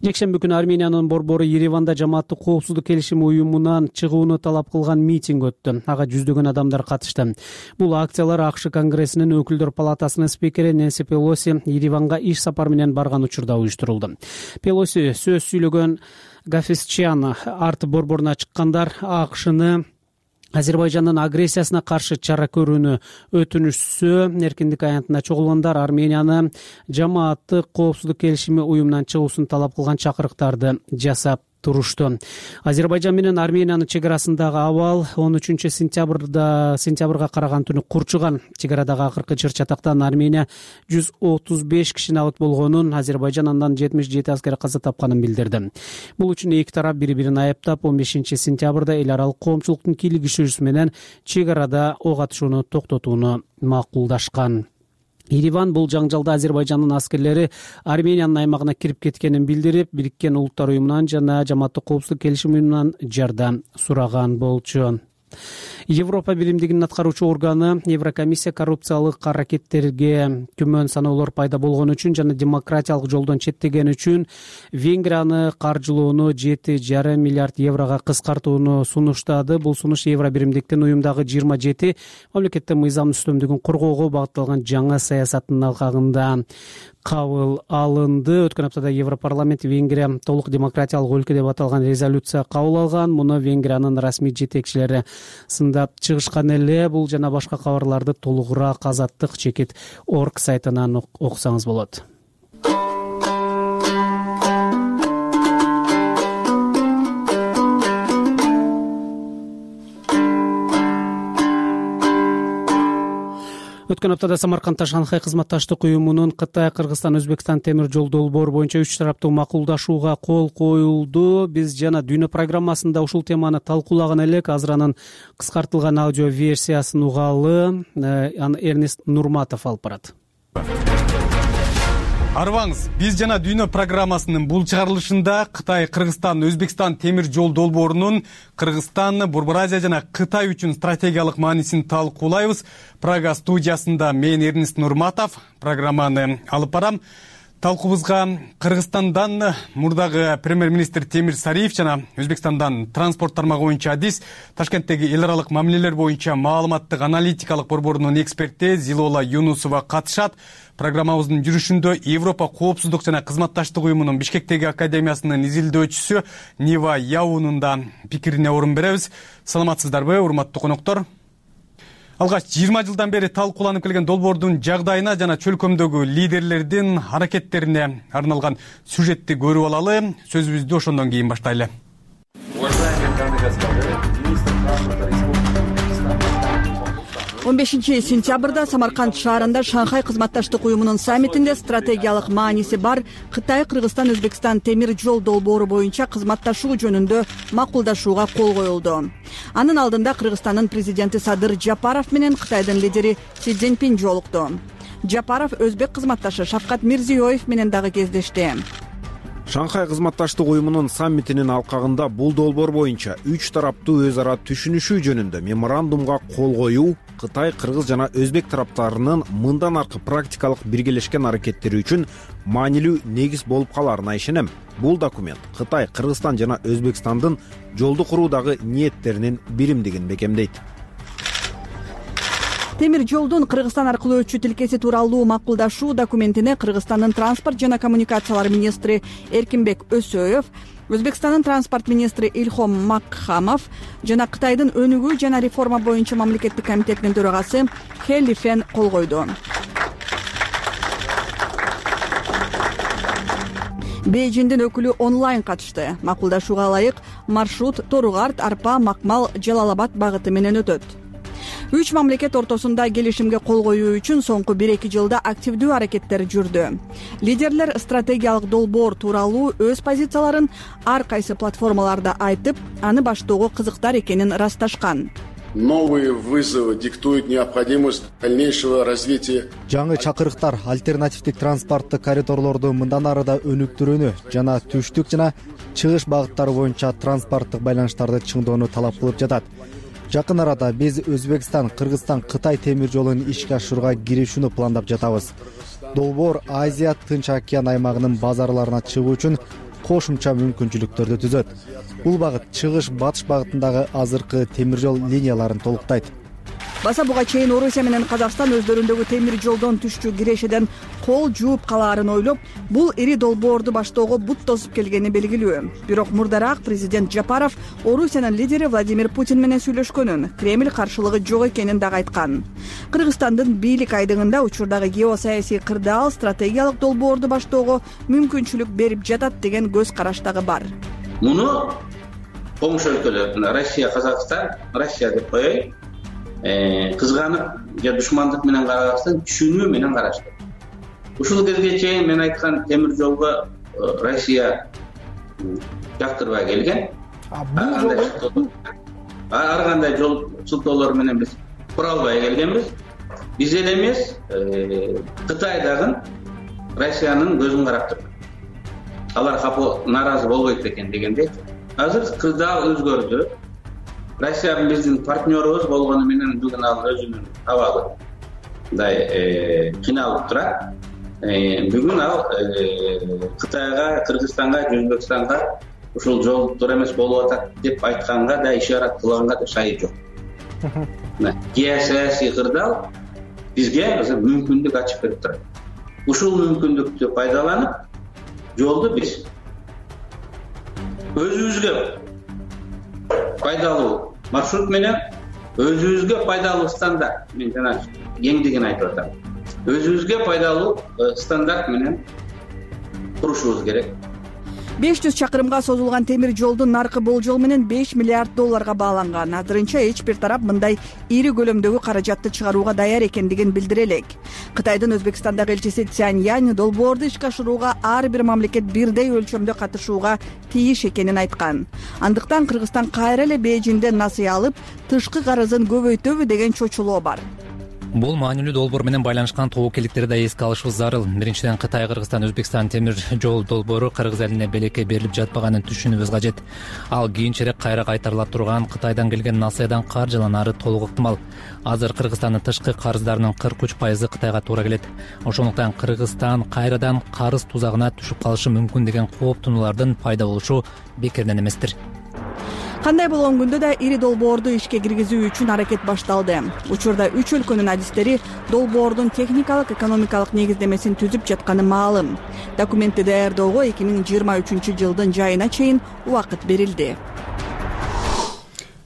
[SPEAKER 1] Жекшемби күнү Армениянын борбору Ереванда жамааттык коопсуздук келишими уюмунан чыгууну талап кылган митинг өттү. Ага жүздөгөн адамдар катышты. Бул акциялар АКШ Конгрессинин өкүлдөр палатасынын спикери Нэнси Пелоси Ереванга иш сапар менен барган учурда уюштурулду. Пелоси сөз сүйлөгөн Гафисчан арт борборуна чыккандар АКШны Азербайжандын агрессиясына каршы чара көрүүнү өтүнүшсө, эркиндик аянтына чогулгандар Арменияны жамааттык коопсуздук келишими уюмунан чыгуусун талап кылган чакырыктарды жасап турушту. Азербайжан менен Армениянын чек арасындагы абал 13-сентябрга караган түнү курчуган. Чек арадагы акыркы чыр-чатактан Армения 135 киши набыт болгонун, Азербайжан андан 77 аскер каза тапканын билдирди. Бул үчүн эки тарап бири-бирин айыптап, 15-сентябрда эл аралык коомчулуктун кийлигишүүсү менен чек арада ок атышууну токтотууну макулдашкан. Ереван бул жаңжалда Азербайжандын аскерлери Армениянын аймагына кирип кеткенин билдирип, Бириккен Улуттар уюмунан жана жамааттык коопсуздук келишими уюмунан жардам сураган болчу. Европа биримдигинин аткаруучу органы Еврокомиссия коррупциялык аракеттерге күмөн саноолор пайда болгон үчүн жана демократиялык жолдон четтеген үчүн Венгрияны каржылоону 7,5 миллиард еврого кыскартууну сунуштады. Бул сунуш Евро биримдиктин уюмдагы 27 мамлекеттин мыйзам үстөмдүгүн коргоого багытталган жаңы саясаттын алкагында кабыл алынды. Өткөн аптада Европарламент Венгрия толук демократиялык өлкө деп аталган резолюция кабыл алган. Муну Венгриянын расмий жетекчилери сындап чыгышкан эле. Бул жана башка кабарларды толугураак Азаттык чекит орг сайтынан окусаңыз болот. Өткөн аптада Самаркандда Шанхай кызматташтык уюмунун Кытай, Кыргызстан, Өзбекстан темир жол долбоору боюнча 3 тараптуу макулдашууга кол коюлду. Биз жана Дүйнө программасында ушул теманы талкуулаган элек. Азыр анын кыскартылган аудио версиясын угалы. Аны Эрнест Нурматов алып барат.
[SPEAKER 11] Арбаңыз, биз жана Дүйнө программасынын бул чыгарылышында Кытай, Кыргызстан, Өзбекстан темир жол долбоорунун Кыргызстан, Борбор Азия жана Кытай үчүн стратегиялык маанисин талкуулайбыз. Прага студиясында мен Эрнест Нурматов программаны алып барам. Талкуубузга Кыргызстандан мурдагы премьер-министр Темир Сариев жана Өзбекстандан транспорт тармагы боюнча адис, Ташкенттеги эл аралык мамилелер боюнча маалыматтык аналитикалык борборунун эксперти Зилола Юнусова катышат. Программабыздын жүрүшүндө Европа коопсуздук жана кызматташтык уюмунун Бишкектеги академиясынын изилдөөчүсү Нива Яунун да пикирине орун беребиз. Саламатсыздарбы, урматтуу коноктор? Алгач 20 жылдан бери талкууланып келген долбоордун жагдайына жана чөлкөмдөгү лидерлердин аракеттерине арналган сюжетти көрүп алалы. Сөзүбүздү ошондон кийин баштайлы.
[SPEAKER 7] 15 сентябрда Самарканд шаарында Шанхай кызматташтык уюмунун саммитинде стратегиялык мааниси бар Кытай, Кыргызстан, Өзбекстан темир жол долбоору боюнча кызматташуу жөнүндө макулдашууга кол коюлду. Анын алдында Кыргызстандын президенти Садыр Жапаров менен Кытайдын лидери Си Цзиньпин жолукту. Жапаров өзбек кызматташы Шавкат Мирзиёев менен дагы кездешти.
[SPEAKER 3] Шанхай кызматташтык уюмунун саммитинин алкагында бул долбоор боюнча 3 тараптуу өз ара түшүнүшүү жөнүндө меморандумга кол коюу Кытай, Кыргыз жана Өзбек тараптарынын мындан аркы практикалык биргелешкен аракеттери үчүн маанилүү негиз болуп каларына ишенем. Бул документ Кытай, Кыргызстан жана Өзбекстандын жолду куруудагы ниеттеринин биримдигин бекемдейт.
[SPEAKER 7] Темир жолдун Кыргызстан аркылуу өтчү тилкеси тууралуу макулдашуу документине Кыргызстандын транспорт жана коммуникациялар министри Эркинбек Өсөев, Өзбекстандын транспорт министри Илхом Макхамов жана Кытайдын өнүгүү жана реформа боюнча мамлекеттик комитетинин төрагасы Хэ Лифен кол койду. Бейжиңдин өкүлү онлайн катышты. Макулдашууга ылайык маршрут Торугарт, Арпа, Макмал, Жалал Абад багыты менен өтөт. Үч мамлекет ортосунда келишимге кол коюу үчүн соңку 1-2 жылда активдүү аракеттер жүрдү. Лидерлер стратегиялык долбоор тууралуу өз позицияларын ар кайсы платформаларда айтып, аны баштоого кызыктар экенин ырасташкан.
[SPEAKER 12] Новые вызовы диктуют необходимость дальнейшего развития.
[SPEAKER 13] Жаңы чакырыктар альтернативдик транспорттук коридорлорду мындан ары да өнүктүрүүнү жана түштүк жана чыгыш багыттары боюнча транспорттук байланыштарды чыңдоону талап кылып жатат. Жакын арада биз Өзбекстан, Кыргызстан, Кытай темир жолун ишке ашырууга киришүүнү пландап жатабыз. Долбоор Азия, Тынч океан аймагынын базарларына чыгуу үчүн кошумча мүмкүнчүлүктөрдү түзөт. Бул багыт чыгыш-батыш багытындагы азыркы темир жол линияларын толуктайт.
[SPEAKER 7] Баса буга чейин Орусия менен Казакстан өздөрүндөгү темир жолдон түшчү кирешеден кол жууп калаарын ойлоп, бул ири долбоорду баштоого бут тосуп келгени белгилүү. Бирок мурдараак президент Жапаров Орусиянын лидери Владимир Путин менен сүйлөшкөнүн, Кремль каршылыгы жок экенин дагы айткан. Кыргызстандын бийлик айдыгында учурдагы геосаясий кырдаал стратегиялык долбоорду баштоого мүмкүнчүлүк берип жатат деген көз караш дагы бар.
[SPEAKER 14] Муну коңш өлкөлөр, Россия, Казакстан, Россия деп коеюн, кызганып же душмандык менен карабастан түшүнүү менен карашты. Ушул кезге чейин мен айткан темир жолго Россия жактырбай келген. Ар кандай жол сылтоолор менен биз кура албай келгенбиз. Биз эле эмес, Кытай дагы Россиянын көзүн карап турду. Алар капы нааразы болбойт экен дегендей. Азыр кырдаал өзгөрдү. Россия биздин партнерубуз болгону менен бүгүн ал өзүнүн абалы мындай кыйналып турат. Бүгүн ал Кытайга, Кыргызстанга, Өзбекстанга ушул жолдор эмес болуп атат деп айтканга да, ишарат кылганга да шайы жок. Геосаясий кырдаал бизге азыр мүмкүндүк ачып берип турат. Ушул мүмкүндүктү пайдаланып, жолду биз өзүбүзгө пайдалуу маршрут менен, өзүбүзгө пайдалуу стандарт, мен жана кеңдигин айтып атам. Өзүбүзгө пайдалуу стандарт менен курушубуз керек.
[SPEAKER 7] 500 чакырымга созулган темир жолдун наркы болжол менен 5 миллиард долларга бааланган. Азырынча эч бир тарап мындай ири көлөмдөгү каражатты чыгарууга даяр экендигин билдире элек. Кытайдын Өзбекстандагы элчиси Цянь Янь долбоорду ишке ашырууга ар бир мамлекет бирдей өлчөмдө катышууга тийиш экенин айткан. Андыктан Кыргызстан кайра эле Бейжиңден насыя алып, тышкы карызын көбөйтөбү деген чочулоо бар.
[SPEAKER 15] Бул маанилүү долбоор менен байланышкан тобокелдиктерди да эске алышыбыз зарыл. Биринчиден, Кытай, Кыргызстан, Өзбекстан темир жол долбоору Кыргыз элине белекке берилип жатпаганын түшүнүүбүз кажет. Ал кийинчерээк кайра кайтарыла турган Кытайдан келген насыядан каржыланары толук ыктымал. Азыр Кыргызстандын тышкы карыздарынын 43% Кытайга туура келет. Ошондуктан Кыргызстан кайрадан карыз тузагына түшүп калышы мүмкүн деген кооптонуулардын пайда болушу бекерден эместир.
[SPEAKER 7] Кандай болгон күндө да ири долбоорду ишке киргизүү үчүн аракет башталды. Учурда 3 өлкөнүн адистери долбоордун техникалык, экономикалык негиздемесин түзүп жатканы маалым. Документти даярдоого 2023 жылдын жайына чейин убакыт берилди.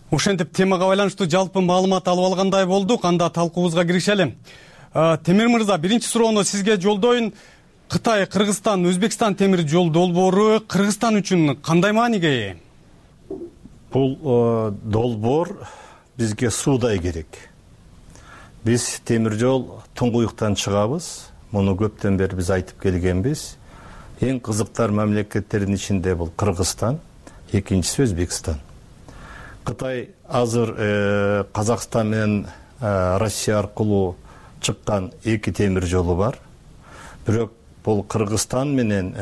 [SPEAKER 11] Ошентип темага байланыштуу жалпы маалымат алып алгандай болдук. Анда талкуубузга киришели. Темир мырза, биринчи суроону сизге жолдоюн. Кытай, Кыргызстан, Өзбекстан темир жол долбоору Кыргызстан үчүн кандай мааниге ээ?
[SPEAKER 16] Бул долбоор бизге суудай керек. Биз темир жол туңгуюктан чыгабыз. Муну көптөн бери биз айтып келгенбиз. Эң кызыктар мамлекеттердин ичинде бул Кыргызстан, экинчиси Өзбекстан. Кытай азыр Казакстан менен Россия аркылуу чыккан 2 темир жолу бар. Бирок бул Кыргызстан менен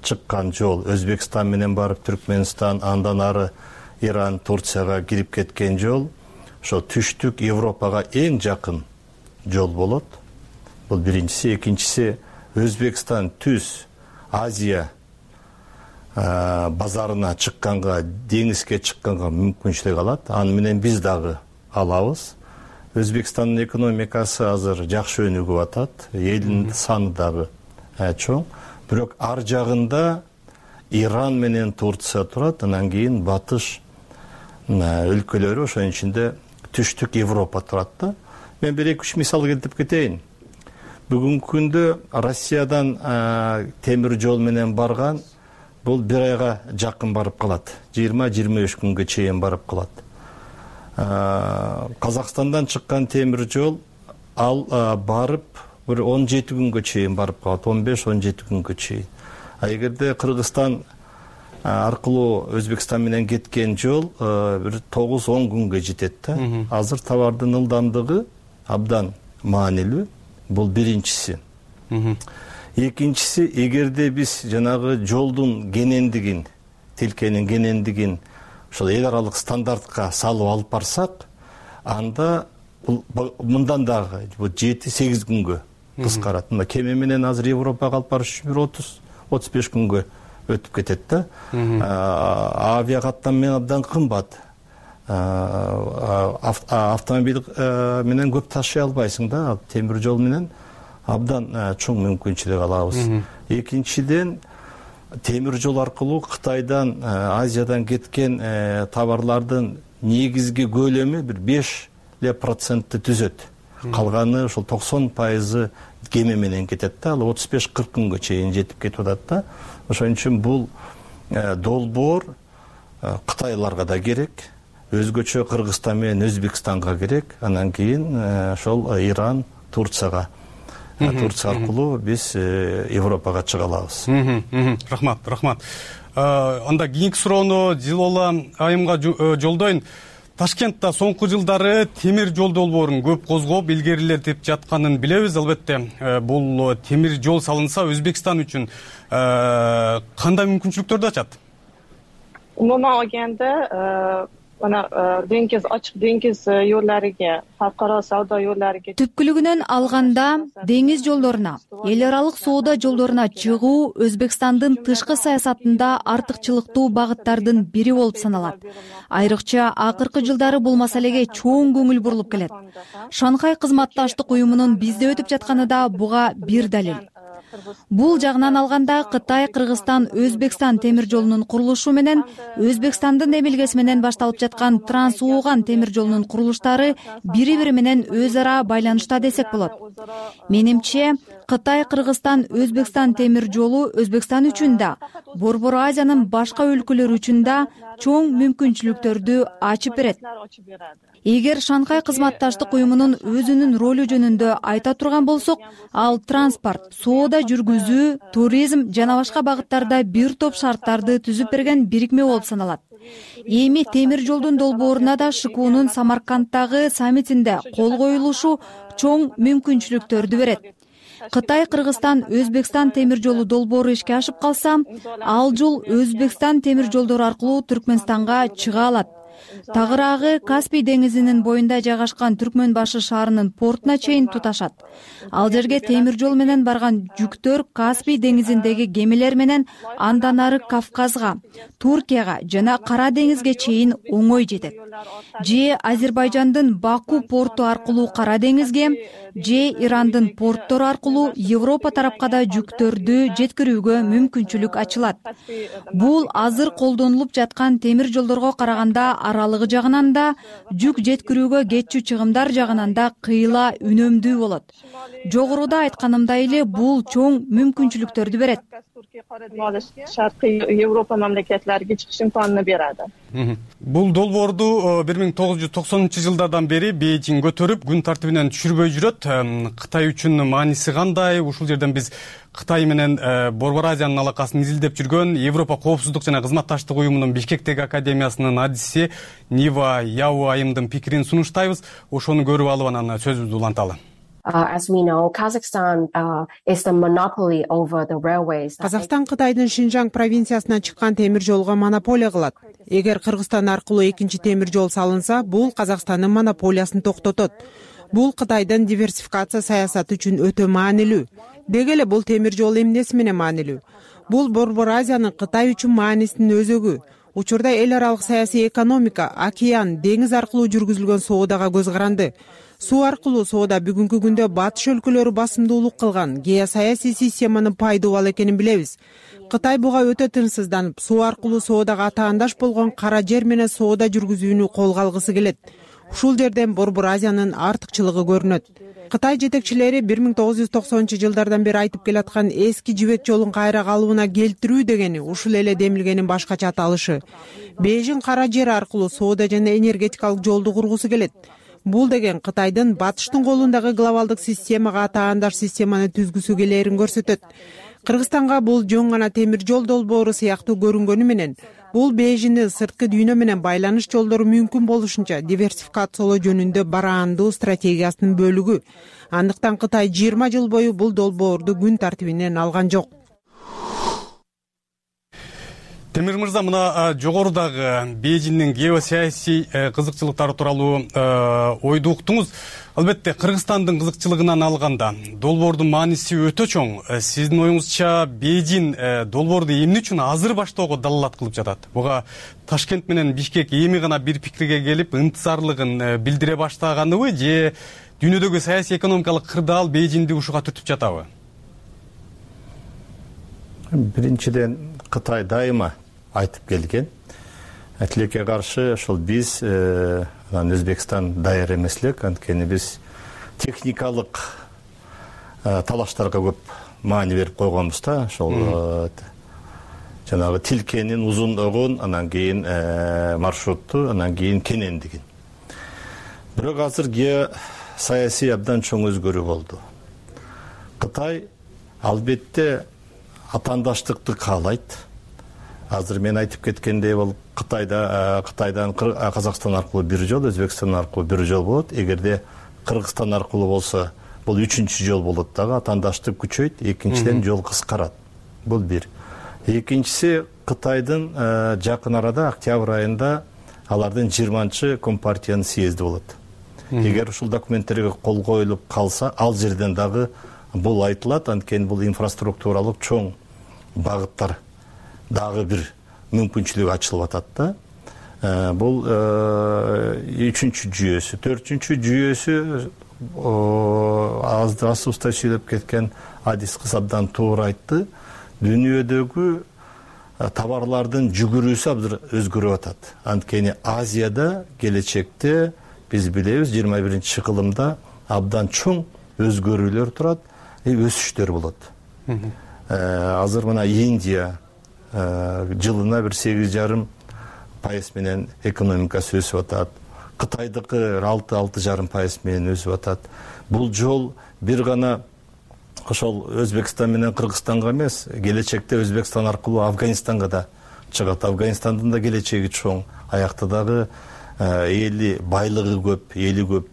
[SPEAKER 16] чыккан жол, Өзбекстан менен барып Түркмөнстан, андан ары Иран, Турцияга кирип кеткен жол, ошо түштүк Европага эң жакын жол болот. Бул биринчиси, экинчиси Өзбекстан түз Азия базарына чыкканга, деңизге чыкканга мүмкүнчүлүк алат. Аны менен биз дагы алабыз. Өзбекстандын экономикасы азыр жакшы өнүгүп атат. Элдин саны дагы чоң. Бирок ар жагында Иран менен Турция турат, анан кийин батыш өлкөлөрү, ошонун ичинде түштүк Европа турат да. Мен 1-2 мисал келтирип кетейин. Бүгүнкү күндө Россиядан темир жол менен барган бул 1 айга жакын барып калат. 20-25 күнгө чейин барып калат. Казакстандан чыккан темир жол ал барып бир 17 күнгө чейин барып калат, 15-17 күнгө чейин. Эгерде Кыргызстан аркылуу Өзбекстан менен кеткен жол бир 9-10 күнгө жетет да. Азыр товардын ылдамдыгы абдан маанилүү. Бул биринчиси. Экинчиси, эгерде биз жанагы жолдун кенендигин, тилкенин кенендигин ошол эл аралык стандартка салып алып барсак, анда мындан дагы 7-8 күнгө кыскарат. Мына кеме менен азыр Европага алып барыш үчүн 30-35 күнгө өтүп кетет да. Авиа каттам менен абдан кымбат. Автомобиль менен көп ташый албайсың да, темир жол менен абдан чоң мүмкүнчүлүк алабыз. Экинчиден, темир жол аркылуу Кытайдан, Азиядан кеткен товарлардын негизги көлөмү бир 5% түзөт. Калганы ошол 90% кеме менен кетет да, ал 35-40 күнгө чейин жетип кетип атат да. Ошон үчүн бул долбоор Кытайларга да керек, өзгөчө Кыргызстан менен Өзбекстанга керек, анан кийин ошол Иран, Турцияга аркылуу биз Европага чыга алабыз.
[SPEAKER 11] Рахмат. Анда кийинки суроону Дилола айымга жолдойн. Ташкентте соңку жылдары темир жол долбоорун көп козгоп, илгерилетип жатканын билебиз. Албетте, бул темир жол салынса Өзбекстан үчүн кандай мүмкүнчүлүктөрдү ачат?
[SPEAKER 17] Umuman olganda mana dengiz, ochiq dengiz yo'llariga, xalqaro savdo yo'llariga
[SPEAKER 18] түпкүлүгүнөн алганда деңиз жолдоруна, эл аралык соода жолдоруна чыгуу Өзбекстандын тышкы саясатында артыкчылыктуу багыттардын бири болуп саналат. Айрыкча акыркы жылдары бул маселеге чоң көңүл бурулуп келет. Шанхай кызматташтык уюмунун бизде өтүп жатканы да буга бир далил. Бул жагынан алганда Кытай, Кыргызстан, Өзбекстан темир жолунун курулушу менен Өзбекстандын эмилгеси менен башталып жаткан Транс-Ууган темир жолунун курулуштары бири-бири менен өз ара байланышта десек болот. Менимче, Кытай, Кыргызстан, Өзбекстан темир жолу Өзбекстан үчүн да, Борбор Азиянын башка өлкөлөрү үчүн да чоң мүмкүнчүлүктөрдү ачып берет. Эгер Шанхай кызматташтык уюмунун өзүнүн ролу жөнүндө айта турган болсок, ал транспорт, соода жүргүзүү, туризм жана башка багыттарда бир топ шарттарды түзүп берген бирикме болуп саналат. Эми темир жолдун долбооруна да ШКУнун Самаркандтагы саммитинде кол коюлушу чоң мүмкүнчүлүктөрдү берет. Кытай, Кыргызстан, Өзбекстан темир жолу долбоору ишке ашып калса, ал жол Өзбекстан темир жолдору аркылуу Түркмөнстанга чыга алат. Тагыраагы Каспий деңизинин боюнда жайгашкан Түркмөнбашы шаарынын портуна чейин туташат. Ал жерге темир жол менен барган жүктөр Каспий деңизиндеги кемелер менен андан ары Кавказга, Туркияга жана Кара деңизге чейин оңой жетет. Же Азербайжандын Баку порту аркылуу Кара деңизге, же Ирандын порттору аркылуу Европа тарапка да жүктөрдү жеткирүүгө мүмкүнчүлүк ачылат. Бул азыр колдонулуп жаткан темир жолдорго караганда аралыгы жагынан да, жүк жеткирүүгө кетчү чыгымдар жагынан да кыйла үнөмдүү болот. Жогоруда айтканымдай эле бул чоң мүмкүнчүлүктөрдү берет.
[SPEAKER 17] Шаркый Европа мамлекетлерге чыгыш имканын берет.
[SPEAKER 11] Бул долбоорду 1990-жылдардан бери Бейжиң көтөрүп, күн тартибинен түшүрбөй жүрөт. Кытай үчүн мааниси кандай? Ушул жерден биз Кытай менен Борбор Азиянын алакасын изилдеп жүргөн Европа коопсуздук жана кызматташтык уюмунун Бишкектеги академиясынын адиси Нива Яу айымдын пикирин сунуштайбыз. Ошону көрүп алып анан сөзүбүздү уланталы.
[SPEAKER 19] As we know, Kazakhstan is the monopoly over the railways.
[SPEAKER 20] Казакстан Кытайдын Шинжаң провинциясынан чыккан темир жолго монополия кылат. Эгер Кыргызстан аркылуу экинчи темир жол салынса, бул Казакстандын монополиясын токтотот. Бул Кытайдын диверсификация саясаты үчүн өтө маанилүү. Деги эле бул темир жол эмнеси менен маанилүү? Бул Борбор Азиянын Кытай үчүн маанисинин өзөгү. Учурда эл аралык саясий экономика, океан, деңиз аркылуу жүргүзүлгөн соодага көз каранды. Суу аркылуу соода бүгүнкү күндө батыш өлкөлөрү басымдуулук кылган геосаясий системанын пайдуу ал экенин билебиз. Кытай буга өтө тынчсызданып, суу аркылуу соодага атаандаш болгон кара жер менен соода жүргүзүүнү колго алгысы келет. Ушул жерден Борбор Азиянын артыкчылыгы көрүнөт. Кытай жетекчилери 1990-жылдардан бери айтып келаткан эски жибек жолун кайра калыбына келтирүү дегени ушул эле демилгенин башкача аталышы. Бейжиң кара жер аркылуу соода жана энергетикалык жолду кургусу келет. Бул деген Кытайдын батыштын колундагы глобалдык системага таандаш системаны түзгүсү келээрин көрсөтөт. Кыргызстанга бул жөн гана темир жол долбоору сыяктуу көрүнгөнү менен, бул Бейжиңдин сырткы дүйнө менен байланыш жолдору мүмкүн болушунча диверсификациялоо жөнүндө бараандуу стратегиясынын бөлүгү. Андыктан Кытай 20 жыл бою бул долбоорду күн тартибинен алган жок.
[SPEAKER 11] Темир мырза, мына жогорудагы Бейжиңдин геосаясий кызыкчылыктары тууралуу ойду уктуңуз. Албетте, Кыргызстандын кызыкчылыгынан алганда долбоордун мааниси өтө чоң. Сиздин оюңузча Бейжиң долбоорду эмне үчүн азыр баштоого далалат кылып жатат? Буга Ташкент менен Бишкек эми гана бир пикирге келип, ынтызарлыгын билдире баштаганыбы, же дүйнөдөгү саясий экономикалык кырдаал Бейжиңди ушуга түртүп жатабы?
[SPEAKER 16] Биринчиден, Кытай дайыма айтып келген. Тилекке каршы ошол биз Өзбекстан даяр эмес элек, анткени биз техникалык талаштарга көп маани берип койгонбуз да. Ошол жанагы тилкенин узундугун, анан кийин маршрутту, анан кийин кенендигин. Бирок азыр геосаясий абдан чоң өзгөрүү болду. Кытай албетте атаандаштыкты каалайт. Азыр мен айтып кеткендей, бул Кытайдан Казакстан аркылуу бир жол, Өзбекстан аркылуу бир жол болот. Эгерде Кыргызстан аркылуу болсо, бул 3-чү жол болот дагы, атаандаштык күчөйт, экинчиден жол кыскарат. Бул бир. Экинчиси, Кытайдын жакын арада октябрь айында алардын 20-чы Компартиянын съезди болот. Эгер ушул документтерге кол коюлуп калса, ал жерден дагы бул айтылат, анткени бул инфраструктуралык чоң багыттар дагы бир мүмкүнчүлүк ачылып атат да. Бул 3-чү жүйөсү. 4-чү жүйөсү азды сүйлөп кеткен Адис кыз абдан туура айтты. Дүйнөдөгү товарлардын жүгүрүүсү абдан өзгөрүп атат. Анткени Азияда келечекте биз билебиз 21-чи кылымда абдан чоң өзгөрүүлөр турат, өсүштөр болот. Азыр мына Индия жылына бир 8,5% менен экономикасы өсүп атат. Кытайдыкы 6,5% менен өсүп атат. Бул жол бир гана ошол Өзбекстан менен Кыргызстанга эмес, келечекте Өзбекстан аркылуу Афганистанга да чыгат. Афганистандын да келечеги чоң. Аякта дагы эли байлыгы көп, эли көп.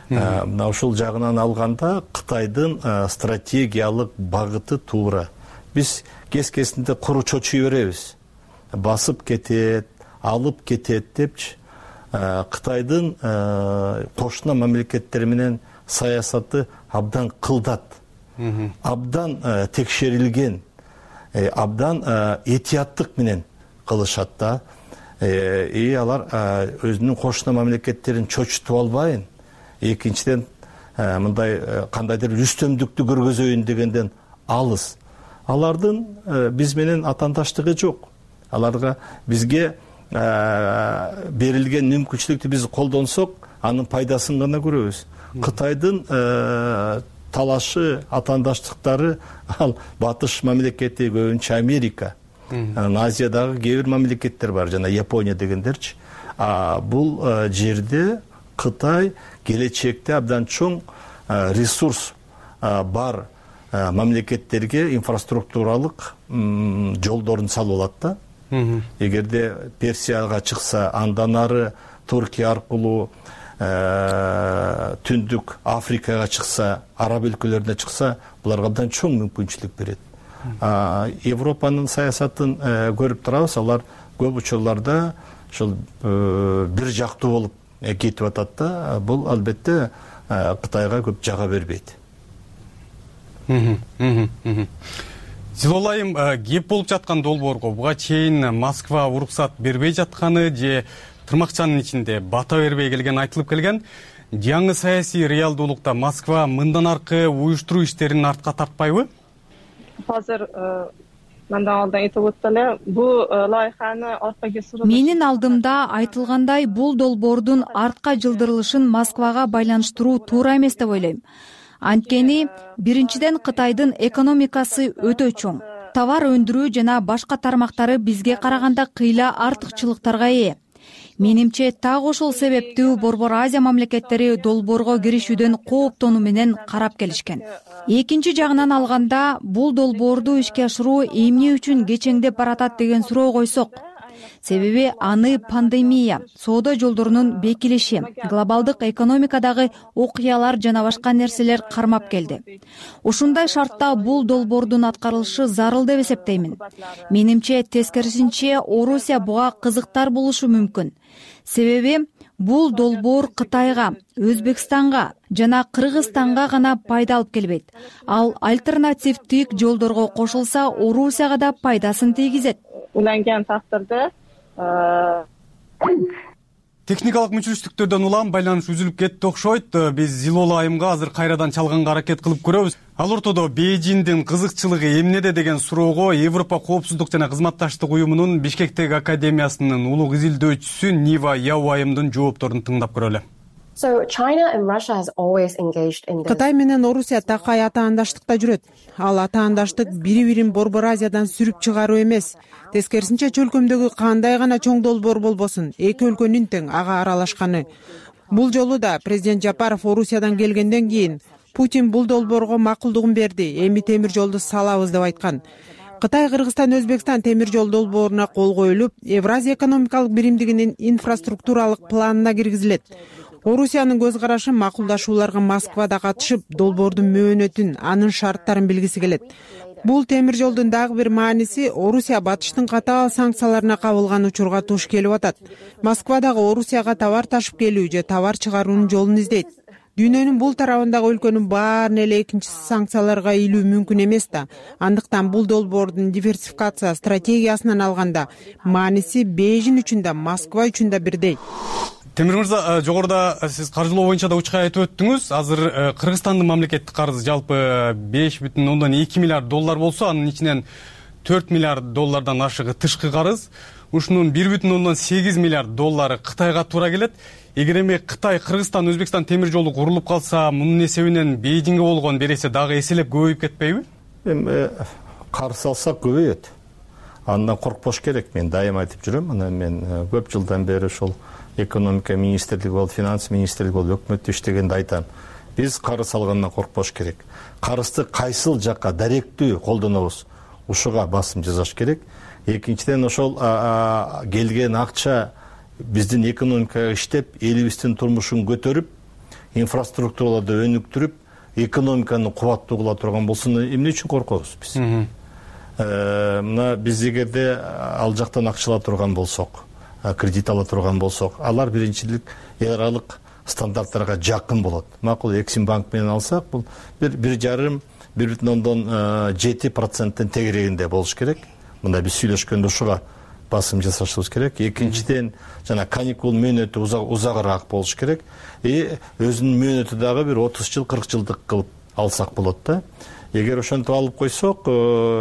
[SPEAKER 16] Мына ушул жагынан алганда Кытайдын стратегиялык багыты туура. Биз кез-кезинде куру чочуй беребиз. Басып кетет, алып кетет депчи. Кытайдын кошуна мамлекеттер менен саясаты абдан кылдат. Абдан текшерилген, абдан этияттык менен кылышат да. Алар өзүнүн кошуна мамлекеттерин чочутуп албайын. Экинчиден мындай кандайдыр үстөмдүктү көргөзөйүн дегенден алыс. Алардын биз менен атаандаштыгы жок. Аларга бизге берилген мүмкүнчүлүктү биз колдонсок, анын пайдасын гана көрөбүз. Кытайдын талашы, атаандаштыктары ал батыш мамлекети, көбүнчө Америка. Азиядагы кээ бир мамлекеттер бар, жана Япония дегендерчи. Бул жерде Кытай келечекте абдан чоң ресурс бар мамлекеттерге инфраструктуралык жолдорун салып алат да. Эгерде Персияга чыкса, андан ары Туркия аркылуу Түндүк Африкага чыкса, араб өлкөлөрүнө чыкса, буларга абдан чоң мүмкүнчүлүк берет. Европанын саясатын көрүп турабыз, алар көп учурларда ошол бир жактуу болуп кетип атат да. Бул албетте Кытайга көп жага бербейт.
[SPEAKER 11] Зилолайым, кеп болуп жаткан долбоорго буга чейин Москва уруксат бербей жатканы же тырмакчанын ичинде бата бербей келген айтылып келген. Жаңы саясий реалдуулукта Москва мындан аркы уюштуруу иштерин артка тартпайбы?
[SPEAKER 17] Азыр мындан алдын айтып өттү эле, бул лайыханы аркага суруу.
[SPEAKER 18] Менин алдымда айтылгандай, бул долбоордун артка жылдырылышын Москвага байланыштыруу туура эмес деп ойлойм. Анткени биринчиден Кытайдын экономикасы өтө чоң. Товар өндүрүү жана башка тармактары бизге караганда кыйла артыкчылыктарга ээ. Менимче так ошол себептүү Борбор Азия мамлекеттери долбоорго киришүүдөн кооптонуу менен карап келишкен. Экинчи жагынан алганда, бул долбоорду ишке ашыруу эмне үчүн кечеңдеп баратат деген суроо койсок, себеби аны пандемия, соода жолдорунун бекилиши, глобалдык экономикадагы окуялар жана башка нерселер кармап келди. Ушундай шартта бул долбоордун аткарылышы зарыл деп эсептеймин. Менимче тескерисинче Орусия буга кызыктар болушу мүмкүн. Себеби бул долбоор Кытайга, Өзбекстанга жана Кыргызстанга гана пайда алып келбейт. Ал альтернативдик жолдорго кошулса, Орусияга да пайдасын тийгизет.
[SPEAKER 17] Уланган тактырда
[SPEAKER 11] техникалык мүчүрүштүктөрдөн улам байланыш үзүлүп кетти окшойт. Биз Зилола айымга азыр кайрадан чалганга аракет кылып көрөбүз. Ал ортодо Бейжиңдин кызыкчылыгы эмнеде деген суроого Европа коопсуздук жана кызматташтык уюмунун Бишкектеги академиясынын улуг изилдөөчүсү Нива Яу айымдын жоопторун тыңдап көрөлү.
[SPEAKER 20] Кытай менен Орусия такай атаандаштыкта жүрөт. Ал атаандаштык бири-бирин Борбор Азиядан сүрүп чыгаруу эмес. Тескерисинче чөлкөмдөгү кандай гана чоң долбоор болбосун, эки өлкөнүн тең ага аралашканы. Бул жолу да президент Жапаров Орусиядан келгенден кийин Путин бул долбоорго макулдугун берди. Эми темир жолду салабыз деп айткан. Кытай, Кыргызстан, Өзбекстан темир жол долбооруна кол коюлуп, Евразия экономикалык биримдигинин инфраструктуралык планына киргизилет. Орусиянын көз карашы макулдашууларга Москвада катышып, долбоордун мөөнөтүн, анын шарттарын билгиси келет. Бул темир жолдун дагы бир мааниси Орусия батыштын катаал санкцияларына кабылган учурга туш келип атат. Москва дагы Орусияга товар ташып келүү же товар чыгаруунун жолун издейт. Дүйнөнүн бул тарабындагы өлкөнүн баарын эле экинчи санкцияларга илүү мүмкүн эмес да. Андыктан бул долбоордун диверсификация стратегиясынан алганда мааниси Бейжиң үчүн да, Москва үчүн да бирдей.
[SPEAKER 11] Темир мырза, жогоруда сиз каржылоо боюнча да учкай айтып өттүңүз. Азыр Кыргызстандын мамлекеттик карызы жалпы 5,2 миллиард доллар болсо, анын ичинен 4 миллиард доллардан ашыгы тышкы карыз. Ушунун 1,8 миллиард доллары Кытайга туура келет. Эгер эми Кытай, Кыргызстан, Өзбекстан темир жолу курулуп калса, мунун эсебинен Бейжиңге болгон береси дагы эселеп көбөйүп кетпейби?
[SPEAKER 16] Эми карыз алсак көбөйөт. Андан коркпош керек. Мен дайым айтып жүрөм. Анан мен көп жылдан бери ошол экономика министрлиги болуп, финанс министрлиги болуп, өкмөттө иштегенде айтам. Биз карыз алгандан коркпош керек. Карызды кайсыл жакка даректүү колдонобуз, ушуга басым жасаш керек. Экинчиден, ошол келген акча биздин экономикага иштеп, элибиздин турмушун көтөрүп, инфраструктураларды өнүктүрүп, экономиканы кубаттуу кыла турган болсо, эмне үчүн коркобуз биз? Мына биз эгерде ал жактан акча ала турган болсок, кредит ала турган болсок, алар биринчилик эл аралык стандарттарга жакын болот. Макул Эксим банк менен алсак, бул 1,7% тегерегинде болуш керек. Мында биз сүйлөшкөндө ушуга басым жасашыбыз керек. Экинчиден, жана каникул мөөнөтү узагыраак болуш керек. Өзүнүн мөөнөтү дагы бир 30 жыл, 40 жылдык кылып алсак болот да. Эгер ошентип алып койсок,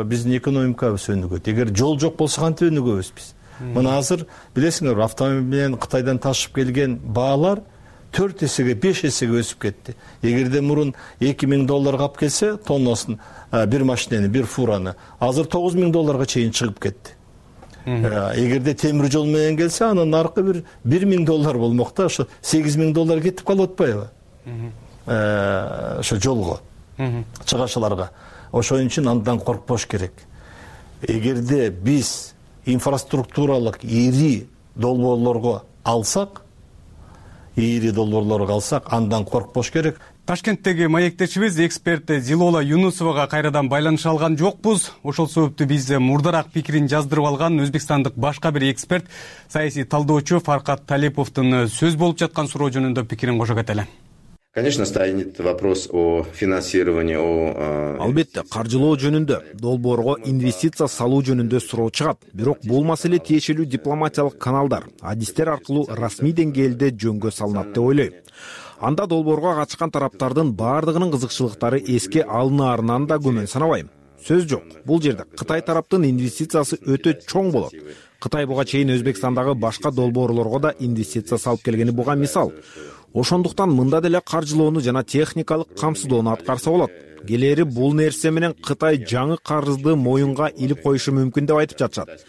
[SPEAKER 16] биздин экономикабыз өнүгөт. Эгер жол жок болсо кантип өнүгөбүз биз? Мына азыр билесиңер, автомобиль менен Кытайдан ташып келген баалар 4 эсеге, 5 эсеге өсүп кетти. Эгерде мурун 2000 долларга алып келсе, тоннасын бир машинени, бир фураны, азыр 9000 долларга чейин чыгып кетти. Эгерде темир жол менен келсе, анын наркы бир 1000 доллар болмок да, ошо 8000 доллар кетип калып атпайбы? Ошо жолго, чыгашаларга. Ошон үчүн андан коркпош керек. Эгерде биз инфраструктуралык ири долбоорлорго алсак, андан коркпош керек.
[SPEAKER 11] Ташкенттеги маектешибиз эксперт Зилола Юнусовага кайрадан байланыша алган жокпуз. Ошол себептүү биз мурдараак пикирин жаздырып алган өзбекстандык башка бир эксперт, саясий талдоочу Фаркат Талиповдун сөз болуп жаткан суроо жөнүндө пикирин кошо кетели.
[SPEAKER 21] Конечно, станет вопрос о финансировании,
[SPEAKER 3] Албетте, каржылоо жөнүндө, долбоорго инвестиция салуу жөнүндө суроо чыгат. Бирок бул маселе тиешелүү дипломатиялык каналдар, адистер аркылуу расмий деңгээлде жөнгө салынат деп ойлойм. Анда долбоорго катышкан тараптардын баардыгынын кызыкчылыктары эске алынаарынан да күмөн санабайм. сөз жок. Бул жерде Кытай тараптын инвестициясы өтө чоң болот. Кытай буга чейин Өзбекстандагы башка долбоорлорго да инвестиция салып келгени буга мисал. Ошондуктан мында деле каржылоону жана техникалык камсыздоону аткарса болот. Келери бул нерсе менен Кытай жаңы карызды моюнга илип коюшу мүмкүн деп айтып жатышат.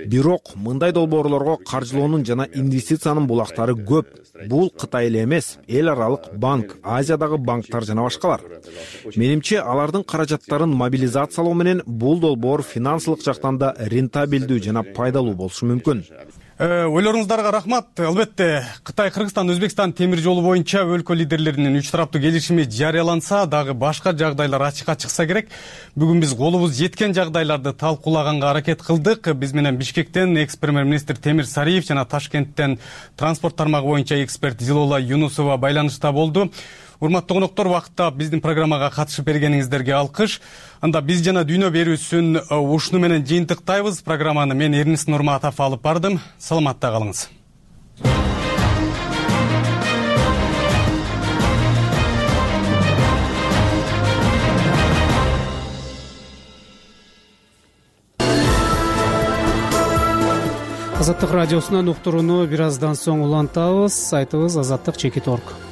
[SPEAKER 3] Бирок мындай долбоорлорго каржылоонун жана инвестициянын булактары көп. Бул Кытай эле эмес, эл аралык банк, Азиядагы банктар жана башкалар. Менимче, алардын каражаттарын мобилизациялоо менен бул долбоор финансылык жактан да рентабелдүү жана пайдалуу болушу мүмкүн.
[SPEAKER 11] Ойлоруңуздарга рахмат. Албетте, Кытай, Кыргызстан, Өзбекстан темир жолу боюнча өлкө лидерлеринин 3 тараптуу келишими жарыяланса дагы башка жагдайлар ачыкка чыкса керек. Бүгүн биз колубуз жеткен жагдайларды талкуулаганга аракет кылдык. Биз менен Бишкектен экс-премьер-министр Темир Сариев жана Ташкенттен транспорт тармагы боюнча эксперт Зилола Юнусова байланышта болду. Урматтуу коноктор, убакытта биздин программага катышып бергениңиздерге алкыш. Анда биз жана дүйнө берүүсүн ушуну менен жыйынтыктайбыз. Программаны мен Эрнис Нурматов алып бардым. Саламатта калыңыз.
[SPEAKER 1] Азаттык радиосунан уктурууну бир аздан соң улантабыз. Сайтыбыз azattik.org.